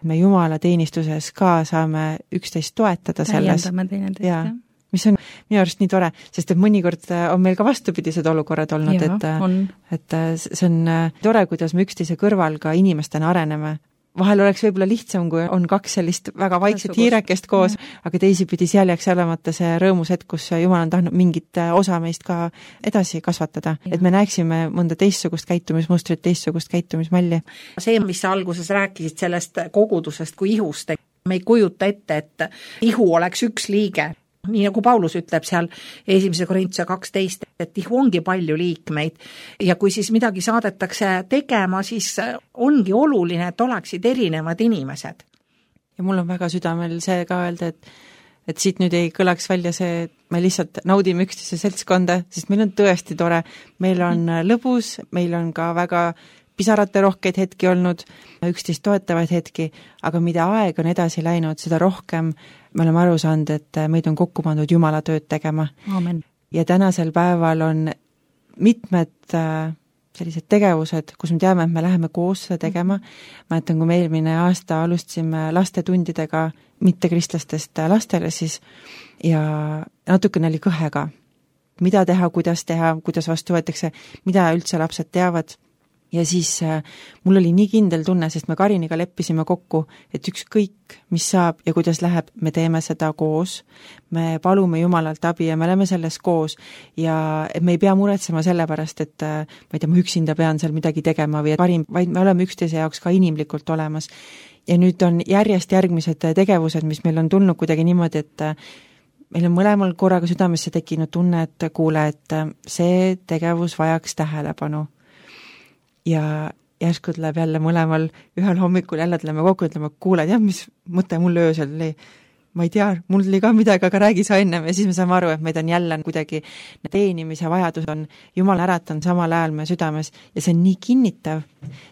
me Jumala teenistuses ka saame üksteist toetada selles. Täiendame teineteist, jah. Mis on minu arust nii tore, sest et mõnikord on meil ka vastupidised olukorrad olnud, ja, et, et see on tore, kuidas me üksteise kõrval ka inimestena areneme. Vahel oleks võib-olla lihtsam, kui on kaks sellist väga vaikset hiirekest koos, ja. Aga teisipidi seal jääks olemata see rõõmus hetk, kus Jumal on tahtnud mingit osa meist ka edasi kasvatada, ja. Et me näeksime mõnda teistsugust käitumismustrit, teistsugust käitumismalli. See, mis sa alguses rääkisid sellest kogudusest kui ihust, me ei kujuta ette, et ihu oleks üks liige. Nii nagu Paulus ütleb seal esimese Korintuse kaksteist, et ihu ongi palju liikmeid ja kui siis midagi saadetakse tegema, siis ongi oluline, et oleksid erinevad inimesed. Ja mul on väga südamel see ka öelda, et, et siit nüüd ei kõlaks välja see, et me lihtsalt naudime üksteise seltskonda, sest meil on tõesti tore, meil on lõbus, meil on ka väga pisarate rohkeid hetki olnud, üksteist toetavaid hetki, aga mida aeg on edasi läinud, seda rohkem me oleme aru saanud, et meid on kokku pandud Jumala tööd tegema. Amen. Ja tänasel päeval on mitmed sellised tegevused, kus me teame, et me läheme koos seda tegema. Ma mõtlen, kui me eelmine aasta alustasime lastetundidega mittekristlastest lastele siis ja natukene oli kõhega. Mida teha, kuidas teha, kuidas vastu võetakse, mida üldse lapsed teavad. Ja siis äh, mul oli nii kindel tunne, sest me Kariniga leppisime kokku, et ükskõik, mis saab ja kuidas läheb, me teeme seda koos, me palume Jumalalt abi ja me oleme selles koos ja me ei pea muretsema selle pärast, et äh, ma ei tea, ma üksinda pean seal midagi tegema või et parim, vaid me oleme üksteise jaoks ka inimlikult olemas. Ja nüüd on järjest järgmised tegevused, mis meil on tulnud kuidagi niimoodi, et äh, meil on mõlemal korraga südamesse tekkinud tunne, et kuule, et see tegevus vajaks tähelepanu. Ja järsku tuleb jälle mõlemal ühel hommikul jälle tuleme kokku, ütleme, kuule, jah, mis mõte mul öösel oli, ma ei tea, mul oli ka midagi, aga räägi sa ennem ja siis me saame aru, et meid on jälle kuidagi teenimise vajadus on, Jumal äratan samal ajal me südames ja see on nii kinnitav,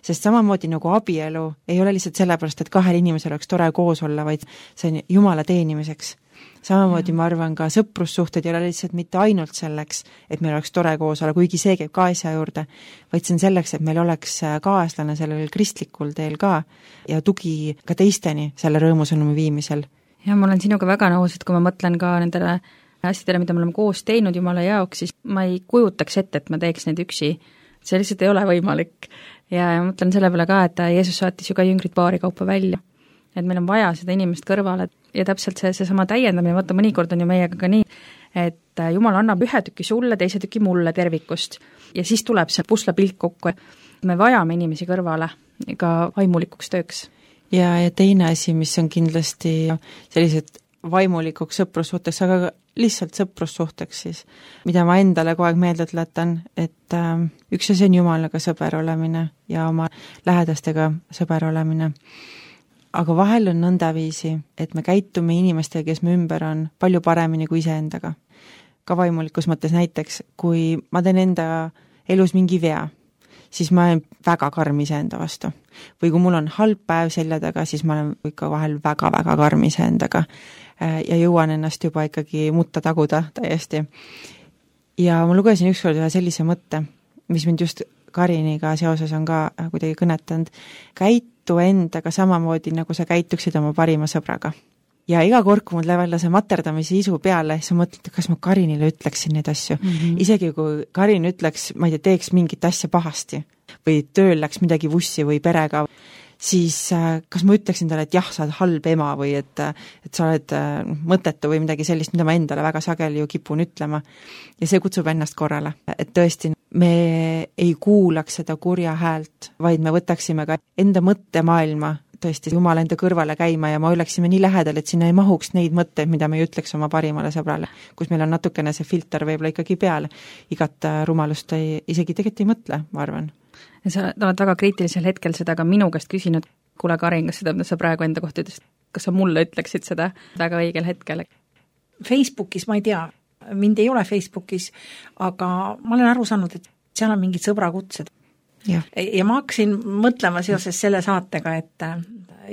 sest samamoodi nagu abielu ei ole lihtsalt sellepärast, et kahel inimesel oleks tore koos olla, vaid see on Jumala teenimiseks. Samamoodi ma arvan ka sõprussuhted ei ole lihtsalt mitte ainult selleks, et meil oleks tore koos olla, kuigi see käib ka asja juurde, vaid see on selleks, et meil oleks kaaslane sellel kristlikul teel ka ja tugi ka teisteni selle rõõmusõnumi viimisel. Ja ma olen sinuga väga nõus, et kui ma mõtlen ka nendele asjadele, mida me oleme koos teinud Jumala jaoks, siis ma ei kujutaks ette, et ma teeks neid üksi. See lihtsalt ei ole võimalik. Ja mõtlen selle peale ka, et Jeesus saatis ju ka jüngrid paari kaupa välja. Et meil on vaja seda inimest kõrvale ja täpselt see, see sama täiendamine, vaata mõnikord on ju meiega ka nii, et Jumal annab ühe tüki sulle, teise tüki mulle tervikust ja siis tuleb see puslapilt kokku. Me vajame inimesi kõrvale ka vaimulikuks tööks. Ja, ja teine asi, mis on kindlasti sellised vaimulikuks sõprussuhteks, aga lihtsalt sõprussuhteks siis, mida ma endale kogu aeg meelde tuletan, et äh, üks asi on Jumalaga sõber olemine ja oma lähedastega sõber olemine. aga vahel on nõndaviisi, et me käitume inimestega, kes me ümber on, palju paremini kui iseendaga. Ka vaimulikus mõttes näiteks, kui ma teen enda elus mingi vea, siis ma olen väga karm iseenda vastu. Või kui mul on halb päev selja taga, siis ma olen ikka vahel väga-väga karm iseendaga ja jõuan ennast juba ikkagi mutta taguda täiesti. Ja ma lugesin ükskord ühe sellise mõtte, mis mind just Kariniga seoses on ka kuidagi kõnetanud. Käitu endaga samamoodi, nagu sa käituksid oma parima sõbraga. Ja iga kord, kui mul läheb jälle see materdamise isu peale, siis ma mõtlen, kas ma Karinile ütleksin neid asju. Mm -hmm. Isegi kui Karin ütleks, ma ei tea, teeks mingit asja pahasti või tööl läks midagi vussi või perega, siis kas ma ütleksin talle, et jah, sa oled halb ema või et, et sa oled mõttetu või midagi sellist, mida ma endale väga sageli ju kipun ütlema. Ja see kutsub ennast korrale. Et tõesti, me ei kuulaks seda kurja häält, vaid me võtaksime ka enda mõttemaailma tõesti Jumala enda kõrvale käima ja ma oleksime nii lähedal, et sinna ei mahuks neid mõtteid, mida me ei ütleks oma parimale sõbrale, kus meil on natukene see filter võib-olla ikkagi peal. Igat rumalust ei, isegi tegelikult ei mõtle, ma arvan. Ja sa oled väga kriitilisel hetkel seda ka minu käest küsinud, kuule Karin, kas seda, mida sa praegu enda kohta ütlesid, kas sa mulle ütleksid seda väga õigel hetkel? Facebookis ma ei tea, mind ei ole Facebookis, aga ma olen aru saanud, et seal on mingid sõbrakutsed. Ja. ja ma hakkasin mõtlema seoses selle saatega, et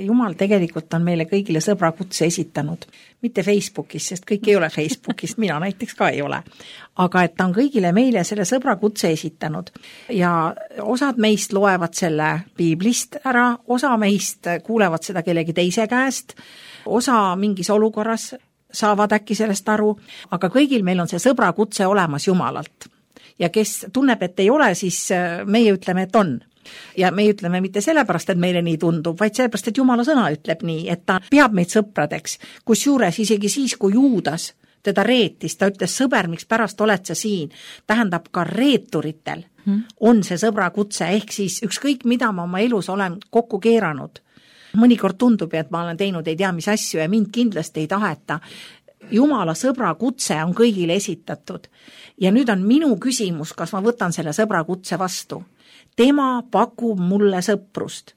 Jumal tegelikult on meile kõigile sõbrakutse esitanud. Mitte Facebookis, sest kõik ei ole Facebookist, mina näiteks ka ei ole. Aga et ta on kõigile meile selle sõbrakutse esitanud. Ja osad meist loevad selle piiblist ära, osa meist kuulevad seda kellegi teise käest, osa mingis olukorras saavad äkki sellest aru, aga kõigil meil on see sõbrakutse olemas Jumalalt. Ja kes tunneb, et ei ole, siis meie ütleme, et on. Ja me ütleme mitte sellepärast, et meile nii tundub, vaid sellepärast, et Jumala sõna ütleb nii, et ta peab meid sõpradeks, kus juures isegi siis, kui Juudas teda reetis, ta ütles, sõber, miks pärast oled sa siin, tähendab ka reeturitel hmm. on see sõbrakutse, ehk siis ükskõik, mida ma oma elus olen kokku keeranud. Mõnikord tundub, et ma olen teinud ei tea mis asju ja mind kindlasti ei taheta. Jumala sõbrakutse on kõigile esitatud. Ja nüüd on minu küsimus, kas ma võtan selle sõbrakutse vastu. Tema pakub mulle sõprust.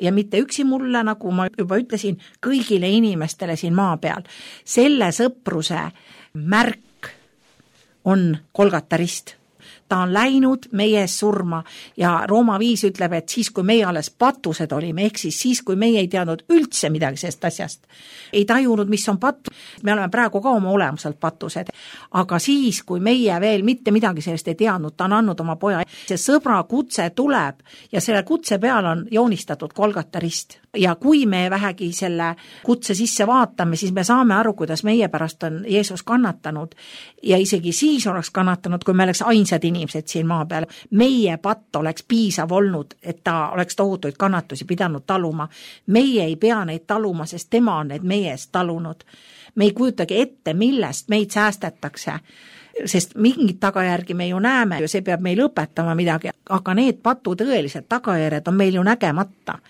Ja mitte üksi mulle, nagu ma juba ütlesin, kõigile inimestele siin maa peal. Selle sõpruse märk on Golgata rist. Ta on läinud meie ees surma ja Rooma viis ütleb, et siis, kui meie alles patused olime, ehk siis siis, kui meie ei teadnud üldse midagi sellest asjast, ei tajunud, mis on patus, me oleme praegu ka oma olemuselt patused, aga siis, kui meie veel mitte midagi sellest ei teadnud, ta on andnud oma poja, see sõbra kutse tuleb ja selle kutse peal on joonistatud Golgata rist. Ja kui me vähegi selle kutse sisse vaatame, siis me saame aru, kuidas meie pärast on Jeesus kannatanud ja isegi siis oleks kannatanud, kui me oleks ainsad inimesed siin maa peal. Meie patt oleks piisav olnud, et ta oleks tohutuid kannatusi pidanud taluma. Meie ei pea neid taluma, sest tema on need meie eest talunud. Me ei kujutagi ette, millest meid säästetakse, sest mingid tagajärgi me ju näeme ja see peab meil õpetama midagi, aga need patu tõelised tagajärjed on meil ju nägemata.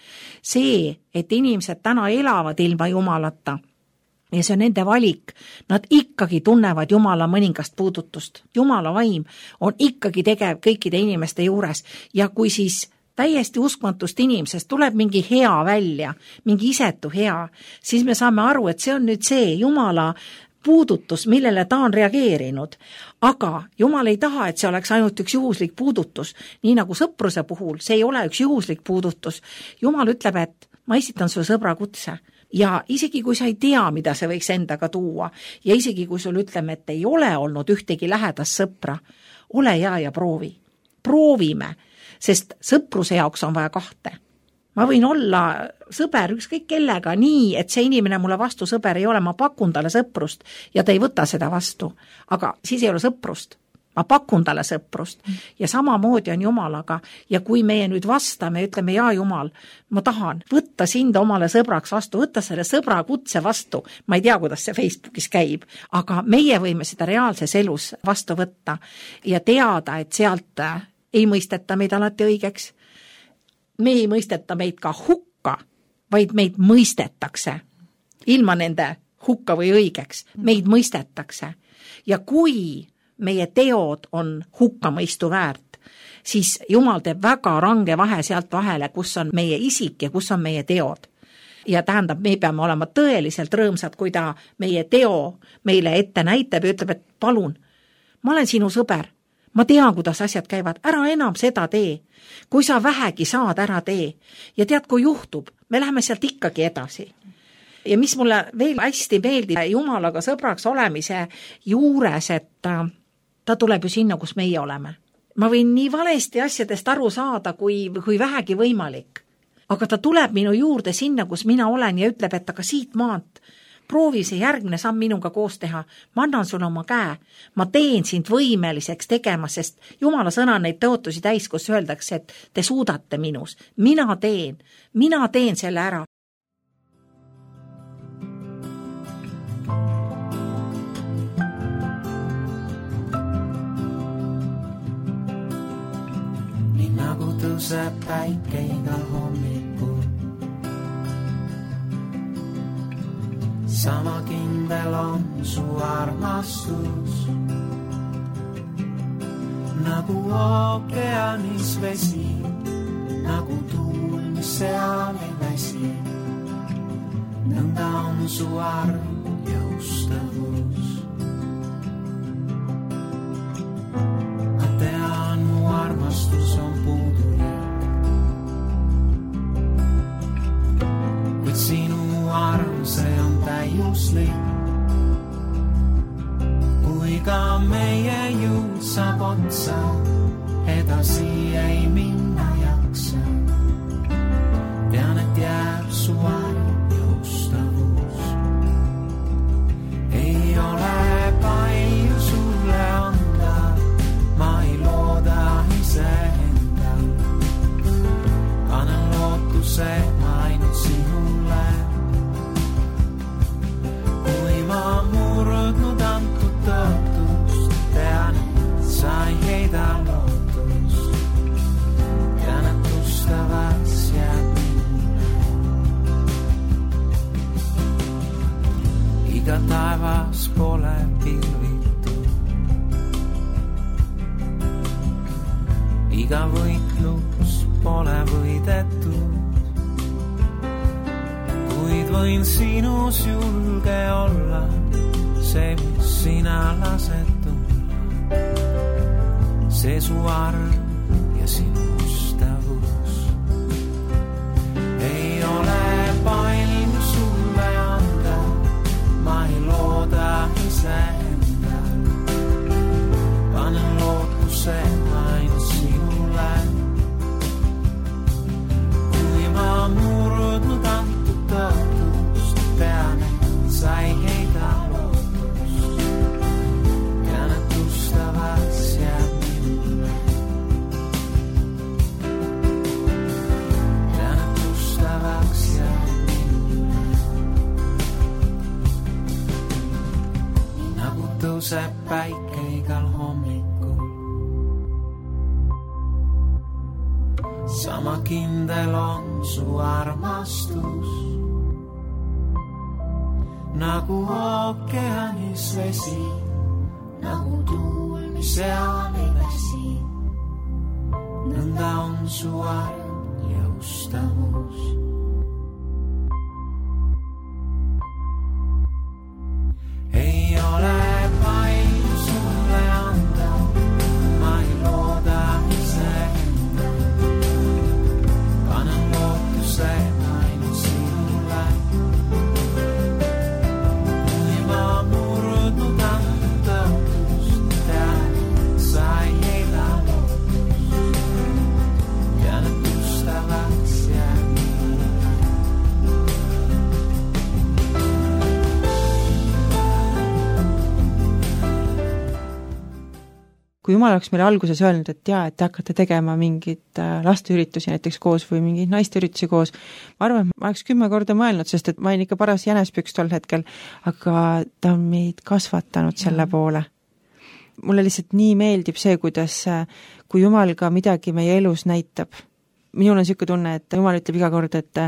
See, et inimesed täna elavad ilma Jumalata ja see on nende valik, nad ikkagi tunnevad Jumala mõningast puudutust. Jumala vaim on ikkagi tegev kõikide inimeste juures ja kui siis täiesti uskmatust inimesest tuleb mingi hea välja, mingi isetu hea, siis me saame aru, et see on nüüd see Jumala puudutus, millele ta on reageerinud. Aga Jumal ei taha, et see oleks ainult üks juhuslik puudutus. Nii nagu sõpruse puhul, see ei ole üks juhuslik puudutus. Jumal ütleb, et ma esitan sulle sõbra kutse. Ja isegi kui sa ei tea, mida see võiks endaga tuua, ja isegi kui sul ütleme, et ei ole olnud ühtegi lähedast sõpra, ole hea ja proovi. Proovime, sest sõpruse jaoks on vaja kahte. Ma võin olla sõber ükskõik kellega nii, et see inimene mulle vastu sõber ei ole, ma pakun talle sõprust ja ta ei võta seda vastu. Aga siis ei ole sõprust. Ma pakun talle sõprust ja samamoodi on Jumalaga. Ja kui meie nüüd vastame, ütleme, jaa Jumal, ma tahan võtta sind omale sõbraks vastu, võtta selle sõbra kutse vastu. Ma ei tea, kuidas see Facebookis käib, aga meie võime seda reaalses elus vastu võtta ja teada, et sealt ei mõisteta meid alati õigeks. Me ei mõisteta meid ka hukka, vaid meid mõistetakse. Ilma nende hukka või õigeks, meid mõistetakse. Ja kui meie teod on hukkamõistu väärt, siis Jumal teeb väga range vahe sealt vahele, kus on meie isik ja kus on meie teod. ja tähendab, me peame olema tõeliselt rõõmsad, kui ta meie teo meile ette näitab ja ütleb, et palun, ma olen sinu sõber, ma tean, kuidas asjad käivad, ära enam seda tee. Kui sa vähegi saad, ära tee. Ja tead, kui juhtub, me läheme sealt ikkagi edasi. Ja mis mulle veel hästi meeldib Jumalaga sõbraks olemise juures, et ta tuleb ju sinna, kus meie oleme. Ma võin nii valesti asjadest aru saada, kui, kui vähegi võimalik. Aga ta tuleb minu juurde sinna, kus mina olen ja ütleb, et aga siit maalt proovi see järgmine samm minuga koos teha. Ma annan sulle oma käe. Ma teen sind võimeliseks tegema, sest Jumala sõna neid tõotusi täis, kus öeldakse, et te suudate minus. Mina teen. Mina teen selle ära. Nii nagu tõuseb päike igal hommikul, sama kindel on su armastus, nagu ookeanis vesi, nagu tuul, mis seal ei väsi. Nõnda on su arm jõustavus. Ma tean, mu armastus on puudulik, kuid sinu arm, see on täiuslik. Kui ka meie jõud saab otsa, edasi ei minna jaksa. Tean, et jääb su arm jõustavus. Ei ole palju sulle anda, ma ei looda iseenda. Panen lootuse ainult sinule. Kui ma murdnud antud tõotust, tean, et sa ei heida lootust. Tean, et ustavas jääb minule. Iga taevas pole pilvitu, iga võitlus pole võidetud. Kuid võin sinus julge olla, see, mis sina lased tulla. See su arm ja sinu ustavus. Ei ole palju sulle anda, ma ei looda iseenda. Panen lootuse ainult sinule. Kui ma murdnud antud tõotust, tean, et sa ei heida lootust. Tean, et ustavas jääb minule. Tean, et ustavaks jääb minule. Nii nagu tõuseb päike igal hommikul, sama kindel on su armastus, nagu ookeanis vesi, nagu tuul, mis seal ei väsi. Nõnda on su arm jõustavus. Ei ole palju sulle anda, ma ei looda iseenda. Panen lootuse ainult sinule. Kui ma murdnud antud tõotust, tean, et sa ei heida lootust. Tean, et ustavaks jääb minule. kui Jumal oleks meile alguses öelnud, et jaa, et te hakkate tegema mingit lasteüritusi näiteks koos või mingeid naisteüritusi koos, ma arvan, et ma oleks kümme korda mõelnud, sest et ma olin ikka paras jänespüks tol hetkel, aga ta on meid kasvatanud selle poole. Mulle lihtsalt nii meeldib see, kuidas, kui Jumal ka midagi meie elus näitab. Minul on niisugune tunne, et Jumal ütleb iga kord, et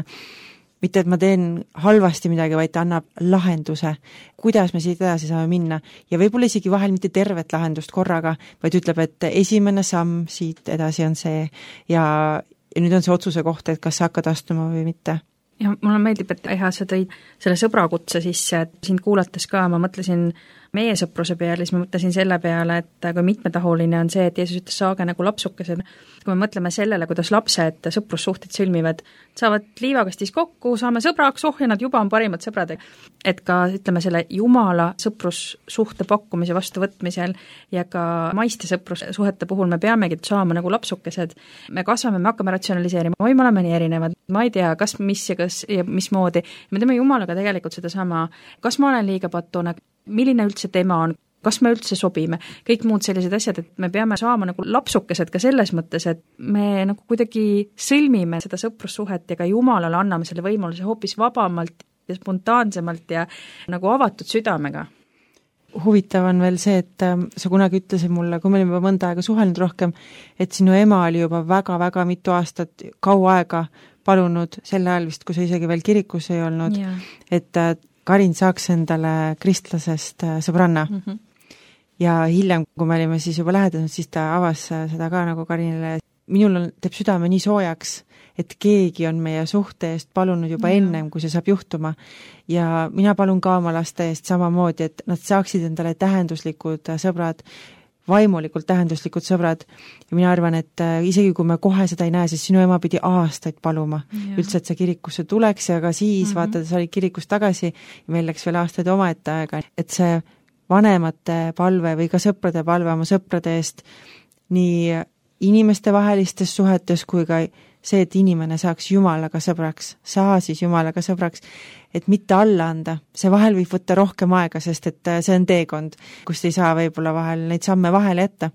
mitte, et ma teen halvasti midagi, vaid ta annab lahenduse, kuidas me siit edasi saame minna. Ja võib-olla isegi vahel mitte tervet lahendust korraga, vaid ütleb, et esimene samm siit edasi on see ja, ja nüüd on see otsuse koht, et kas sa hakkad astuma või mitte. ja mulle meeldib, et Eha, sa tõid selle sõbrakutse sisse, et sind kuulates ka ma mõtlesin meie sõpruse peale, siis ma mõtlesin selle peale, et kui mitmetahuline on see, et Jeesus ütles, saage nagu lapsukesed. Kui me mõtleme sellele, kuidas lapsed sõprussuhted sõlmivad, saavad liivakastis kokku, saame sõbraks, oh ja nad juba on parimad sõbrad. Et ka, ütleme, selle Jumala sõprussuhte pakkumise vastuvõtmisel ja ka maiste sõprussuhete puhul me peamegi saama nagu lapsukesed. Me kasvame, me hakkame ratsionaliseerima, oi, me oleme nii erinevad, ma ei tea, kas mis ja kas ja mismoodi. Me teeme Jumalaga tegelikult seda sama, kas ma olen liiga patune, milline üldse tema on, kas me üldse sobime, kõik muud sellised asjad, et me peame saama nagu lapsukesed ka selles mõttes, et me nagu kuidagi sõlmime seda sõprussuhet ja ka Jumalale anname selle võimaluse hoopis vabamalt ja spontaansemalt ja nagu avatud südamega. Huvitav on veel see, et sa kunagi ütlesid mulle, kui me olime mõnda aega suhelnud rohkem, et sinu ema oli juba väga-väga mitu aastat kaua aega palunud selle ajal vist, kui sa isegi veel kirikus ei olnud, yeah. et Karin saaks endale kristlasest sõbranna. Mm -hmm. Ja hiljem, kui me olime siis juba lähedanud, siis ta avas seda ka nagu Karinile. Minul on, teeb südame nii soojaks, et keegi on meie suhte eest palunud juba ja. ennem, kui see saab juhtuma. Ja mina palun ka oma laste eest samamoodi, et nad saaksid endale tähenduslikud sõbrad, vaimulikult tähenduslikud sõbrad. Ja mina arvan, et isegi kui me kohe seda ei näe, siis sinu ema pidi aastaid paluma ja. üldse, et sa kirikusse tuleks ja ka siis mm -hmm. vaata, sa olid kirikus tagasi ja meil läks veel aastaid omaette aega, et see vanemate palve või ka sõprade palve oma sõprade eest nii inimeste vahelistes suhetes kui ka see, et inimene saaks Jumalaga sõbraks, saa siis Jumalaga sõbraks, et mitte alla anda. See vahel võib võtta rohkem aega, sest et see on teekond, kust ei saa võib-olla vahel neid samme vahele jätta.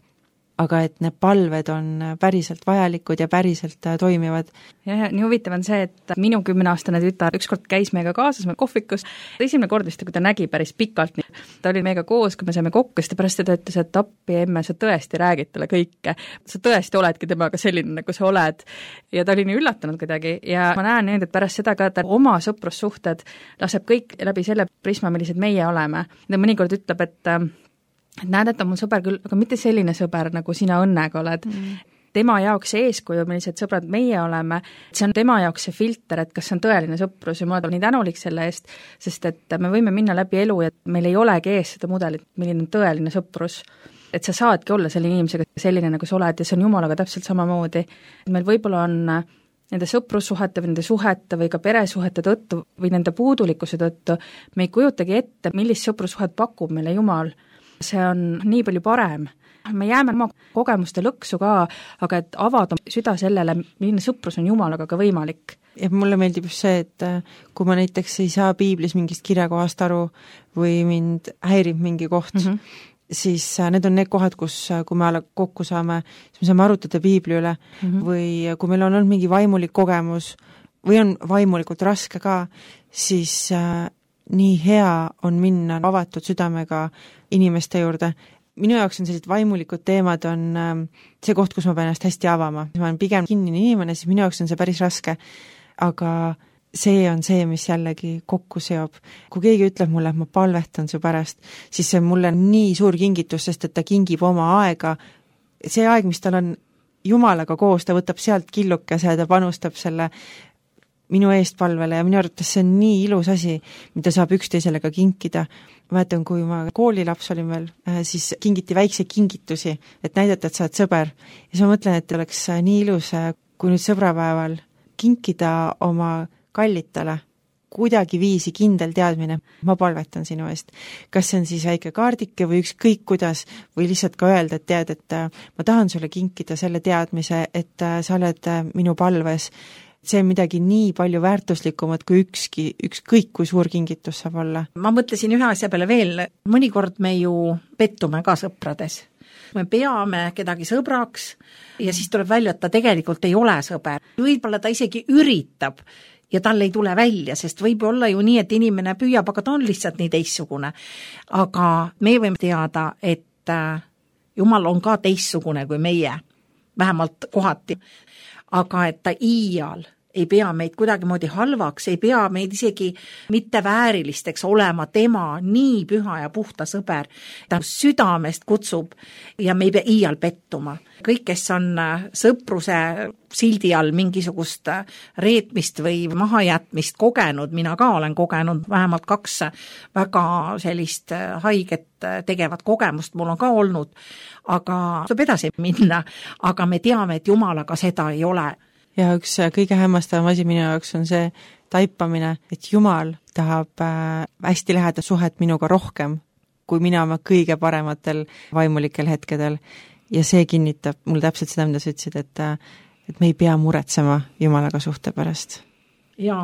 Aga et need palved on päriselt vajalikud ja päriselt toimivad. Ja, ja nii huvitav on see, et minu kümneaastane tütar ükskord käis meiega kaasas meil kohvikus. Esimene kord vist, kui ta nägi päris pikalt, ta oli meiega koos, kui me saime kokku, siis ta pärast seda ütles, et appi emme, sa tõesti räägid talle kõike. Sa tõesti oledki temaga selline, nagu sa oled. Ja ta oli nii üllatunud kuidagi ja ma näen nüüd, et pärast seda ka, et oma sõprussuhted laseb kõik läbi selle prisma, millised meie oleme. Ta mõnikord ütleb, et et näed, et on mul sõber küll, aga mitte selline sõber, nagu sina õnnega oled. Mm. Tema jaoks see eeskuju, millised sõbrad meie oleme, see on tema jaoks see filter, et kas see on tõeline sõprus ja ma olen nii tänulik selle eest, sest et me võime minna läbi elu ja meil ei olegi ees seda mudelit, milline on tõeline sõprus. Et sa saadki olla selle inimesega selline, nagu sa oled ja see on Jumalaga täpselt samamoodi. Meil võib-olla on nende sõprussuhete või nende suhete või ka peresuhete tõttu või nende puudulikkuse tõttu me ei kujutagi ette, millist sõprussuhet pakub meile Jumal. See on nii palju parem. Me jääme oma kogemuste lõksu ka, aga et avada süda sellele, milline sõprus on Jumalaga ka võimalik. Ja mulle meeldib just see, et kui ma näiteks ei saa piiblis mingist kirjakohast aru või mind häirib mingi koht, mm -hmm. siis need on need kohad, kus, kui me alla kokku saame, siis me saame arutada piibli üle mm -hmm. või kui meil on olnud mingi vaimulik kogemus või on vaimulikult raske ka, siis äh, nii hea on minna avatud südamega inimeste juurde. Minu jaoks on sellised vaimulikud teemad on äh, see koht, kus ma pean ennast hästi avama. Ma olen pigem kinnine inimene, siis minu jaoks on see päris raske. Aga see on see, mis jällegi kokku seob. Kui keegi ütleb mulle, et ma palvetan su pärast, siis see on mulle nii suur kingitus, sest et ta kingib oma aega. See aeg, mis tal on Jumalaga koos, ta võtab sealt killukese ja ta panustab selle minu eest palvele ja minu arvates see on nii ilus asi, mida saab üksteisele ka kinkida. Ma mäletan, kui ma koolilaps olin veel, siis kingiti väikse kingitusi, et näidata, et sa oled sõber. Ja siis ma mõtlen, et oleks nii ilus, kui nüüd sõbrapäeval kinkida oma kallitale kuidagi viisi kindel teadmine, ma palvetan sinu eest. Kas see on siis väike kaardike või ükskõik kuidas, või lihtsalt ka öelda, et tead, et ma tahan sulle kinkida selle teadmise, et sa oled minu palves. See on midagi nii palju väärtuslikumat kui ükski, ükskõik kui suur kingitus saab olla. Ma mõtlesin ühe asja peale veel, mõnikord me ju pettume ka sõprades. Me peame kedagi sõbraks ja siis tuleb välja, et ta tegelikult ei ole sõber. Võib-olla ta isegi üritab ja tal ei tule välja, sest võib olla ju nii, et inimene püüab, aga ta on lihtsalt nii teistsugune. Aga me võime teada, et Jumal on ka teistsugune kui meie, vähemalt kohati. Aga et ta iial ei pea meid kuidagimoodi halvaks, ei pea meid isegi mitte väärilisteks olema tema nii püha ja puhta sõber. Ta südamest kutsub ja me ei pea iial pettuma. Kõik, kes on sõpruse sildi all mingisugust reetmist või mahajätmist kogenud, mina ka olen kogenud vähemalt kaks väga sellist haiget tegevat kogemust, mul on ka olnud, aga saab edasi minna, aga me teame, et Jumalaga seda ei ole. Ja üks kõige hämmastavam asi minu jaoks on see taipamine, et Jumal tahab hästi läheda suhet minuga rohkem, kui mina oma kõige parematel vaimulikel hetkedel. Ja see kinnitab mul täpselt seda, mida sa ütlesid, et, et me ei pea muretsema Jumalaga suhte pärast. Jaa,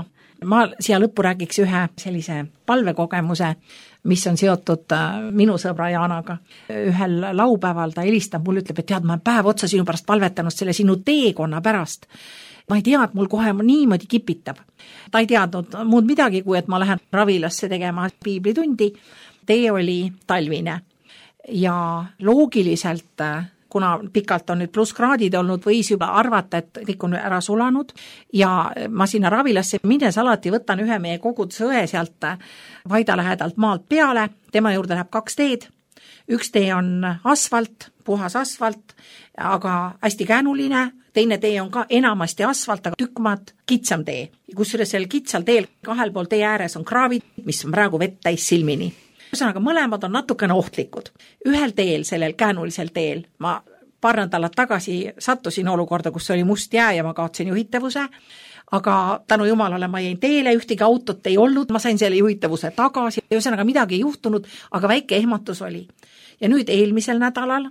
ma siia lõppu räägiks ühe sellise palvekogemuse, mis on seotud minu sõbra Jaanaga. Ühel laupäeval ta helistab, mul ütleb, et tead, ma olen päev otsa sinu pärast palvetanud selle sinu teekonna pärast. Ma ei tea, et mul kohe niimoodi kipitab. Ta ei teadnud muud midagi, kui et ma lähen ravilasse tegema piiblitundi. Tee oli talvine ja loogiliselt, kuna pikalt on nüüd plusskraadid olnud, võis juba arvata, et kõik on ära sulanud ja ma sinna ravilasse minnes alati võtan ühe meie kogudusõe sealt Vaida lähedalt maalt peale, tema juurde läheb kaks teed, üks tee on asfalt, puhas asfalt, aga hästi käänuline, teine tee on ka enamasti asfalt, aga tükkmaad kitsam tee, kus sel kitsal teel kahel pool tee ääres on kraavid, mis on praegu vett täis silmini. Ühesõnaga, mõlemad on natukene ohtlikud. Ühel teel, sellel käänulisel teel, ma paar nädalat tagasi sattusin olukorda, kus oli must jää ja ma kaotsin juhitavuse, aga tänu Jumalale ma jäin teele, ühtegi autot ei olnud, ma sain selle juhitavuse tagasi, ühesõnaga midagi ei juhtunud, aga väike ehmatus oli. Ja nüüd eelmisel nädalal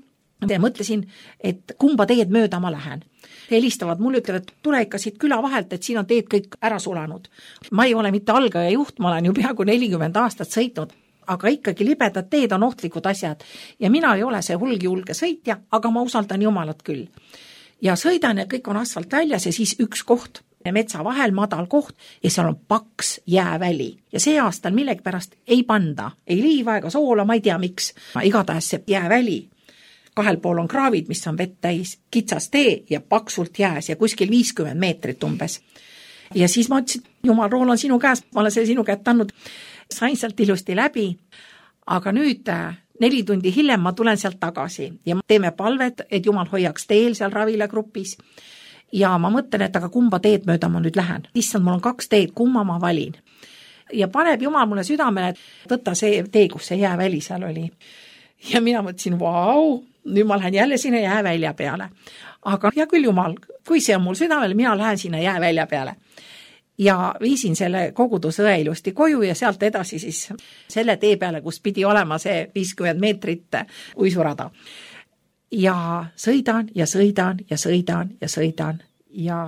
mõtlesin, et kumba teed mööda ma lähen. Helistavad mulle, ütlevad, et tule ikka siit küla vahelt, et siin on teed kõik ära sulanud. Ma ei ole mitte algaja juht, ma olen ju peaaegu nelikümmend aastat sõitnud, aga ikkagi libedad teed on ohtlikud asjad ja mina ei ole see hulgi julge sõitja, aga ma usaldan Jumalat küll. Ja sõidan ja kõik on asfalt väljas ja siis üks koht, metsa vahel madal koht ja seal on paks jääväli. Ja see aastal millegi pärast ei panda, ei liiva ega soola, ma ei tea miks. Igatahes see jääväli. Kahel pool on kraavid, mis on vett täis, kitsas tee ja paksult jääs ja kuskil viiskümmend meetrit umbes. Ja siis ma ütlesin, Jumal, rool on sinu käes, ma olen selle sinu käest andnud. Sain sealt ilusti läbi, aga nüüd neli tundi hiljem ma tulen sealt tagasi ja teeme palvet, et Jumal hoiaks teel seal ravilagrupis ja ma mõtlen, et aga kumba teed mööda ma nüüd lähen. Issand, mul on kaks teed, kumma ma valin. Ja paneb Jumal mulle südamele, et võtta see tee, kus see jääväli seal oli. Ja mina mõtlesin, vau, nüüd ma lähen jälle sinna jäävälja peale. Aga ja küll Jumal, kui see on mul südamele, mina lähen sinna jäävälja peale. Ja viisin selle kogudusõe ilusti koju ja sealt edasi siis selle tee peale, kus pidi olema see viiskümmend meetrit uisurada. Ja sõidan ja sõidan ja sõidan ja sõidan ja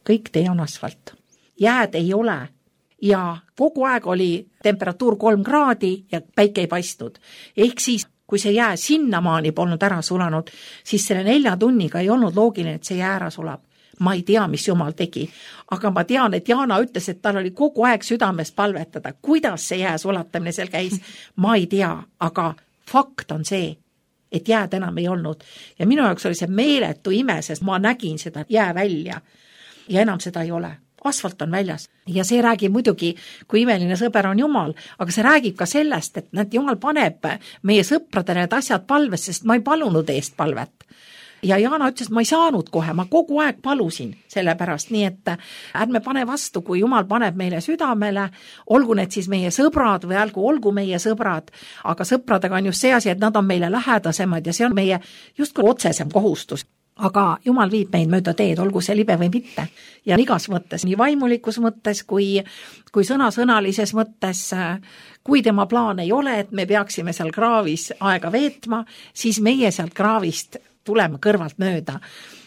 kõik tee on asfalt. Jääd ei ole ja kogu aeg oli temperatuur kolm kraadi ja päike ei paistnud. Ehk siis, kui see jää sinnamaani polnud ära sulanud, siis selle nelja tunniga ei olnud loogiline, et see jää ära sulab. Ma ei tea, mis Jumal tegi, aga ma tean, et Jaana ütles, et tal oli kogu aeg südames palvetada. Kuidas see jää sulatamine seal käis? Ma ei tea, aga fakt on see, et jääd enam ei olnud. Ja minu jaoks oli see meeletu ime, sest ma nägin seda jää välja ja enam seda ei ole. Asfalt on väljas ja see räägib muidugi, kui imeline sõber on Jumal, aga see räägib ka sellest, et näed, Jumal paneb meie sõpradele need asjad palves, sest ma ei palunud eest palvet. Ja Jaana ütles, et ma ei saanud kohe, ma kogu aeg palusin selle pärast, nii et ärme pane vastu, kui Jumal paneb meile südamele, olgu need siis meie sõbrad või olgu, olgu meie sõbrad, aga sõpradega on just see asi, et nad on meile lähedasemad ja see on meie justkui otsesem kohustus. Aga Jumal viib meid mööda teed, olgu see libe või mitte. Ja igas mõttes, nii vaimulikus mõttes kui, kui sõnasõnalises mõttes, kui tema plaan ei ole, et me peaksime seal kraavis aega veetma, siis meie sealt kraavist tuleme kõrvalt mööda.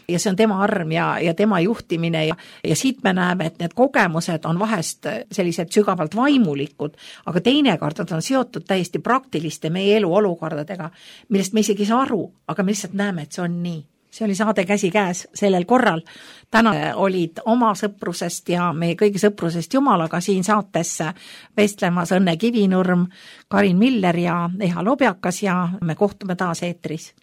Ja see on tema arm ja, ja tema juhtimine ja, ja siit me näeme, et need kogemused on vahest sellised sügavalt vaimulikud, aga teinekord on seotud täiesti praktiliste meie elu olukordadega, millest me isegi ei saa aru, aga me lihtsalt näeme, et see on nii. See oli saade Käsi käes sellel korral. Täna olid oma sõprusest ja meie kõigi sõprusest Jumalaga siin saates vestlemas Õnne Kivinurm, Karin Miller ja Eha Lobjakas ja me kohtume taas eetris.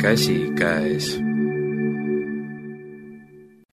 käsikäes.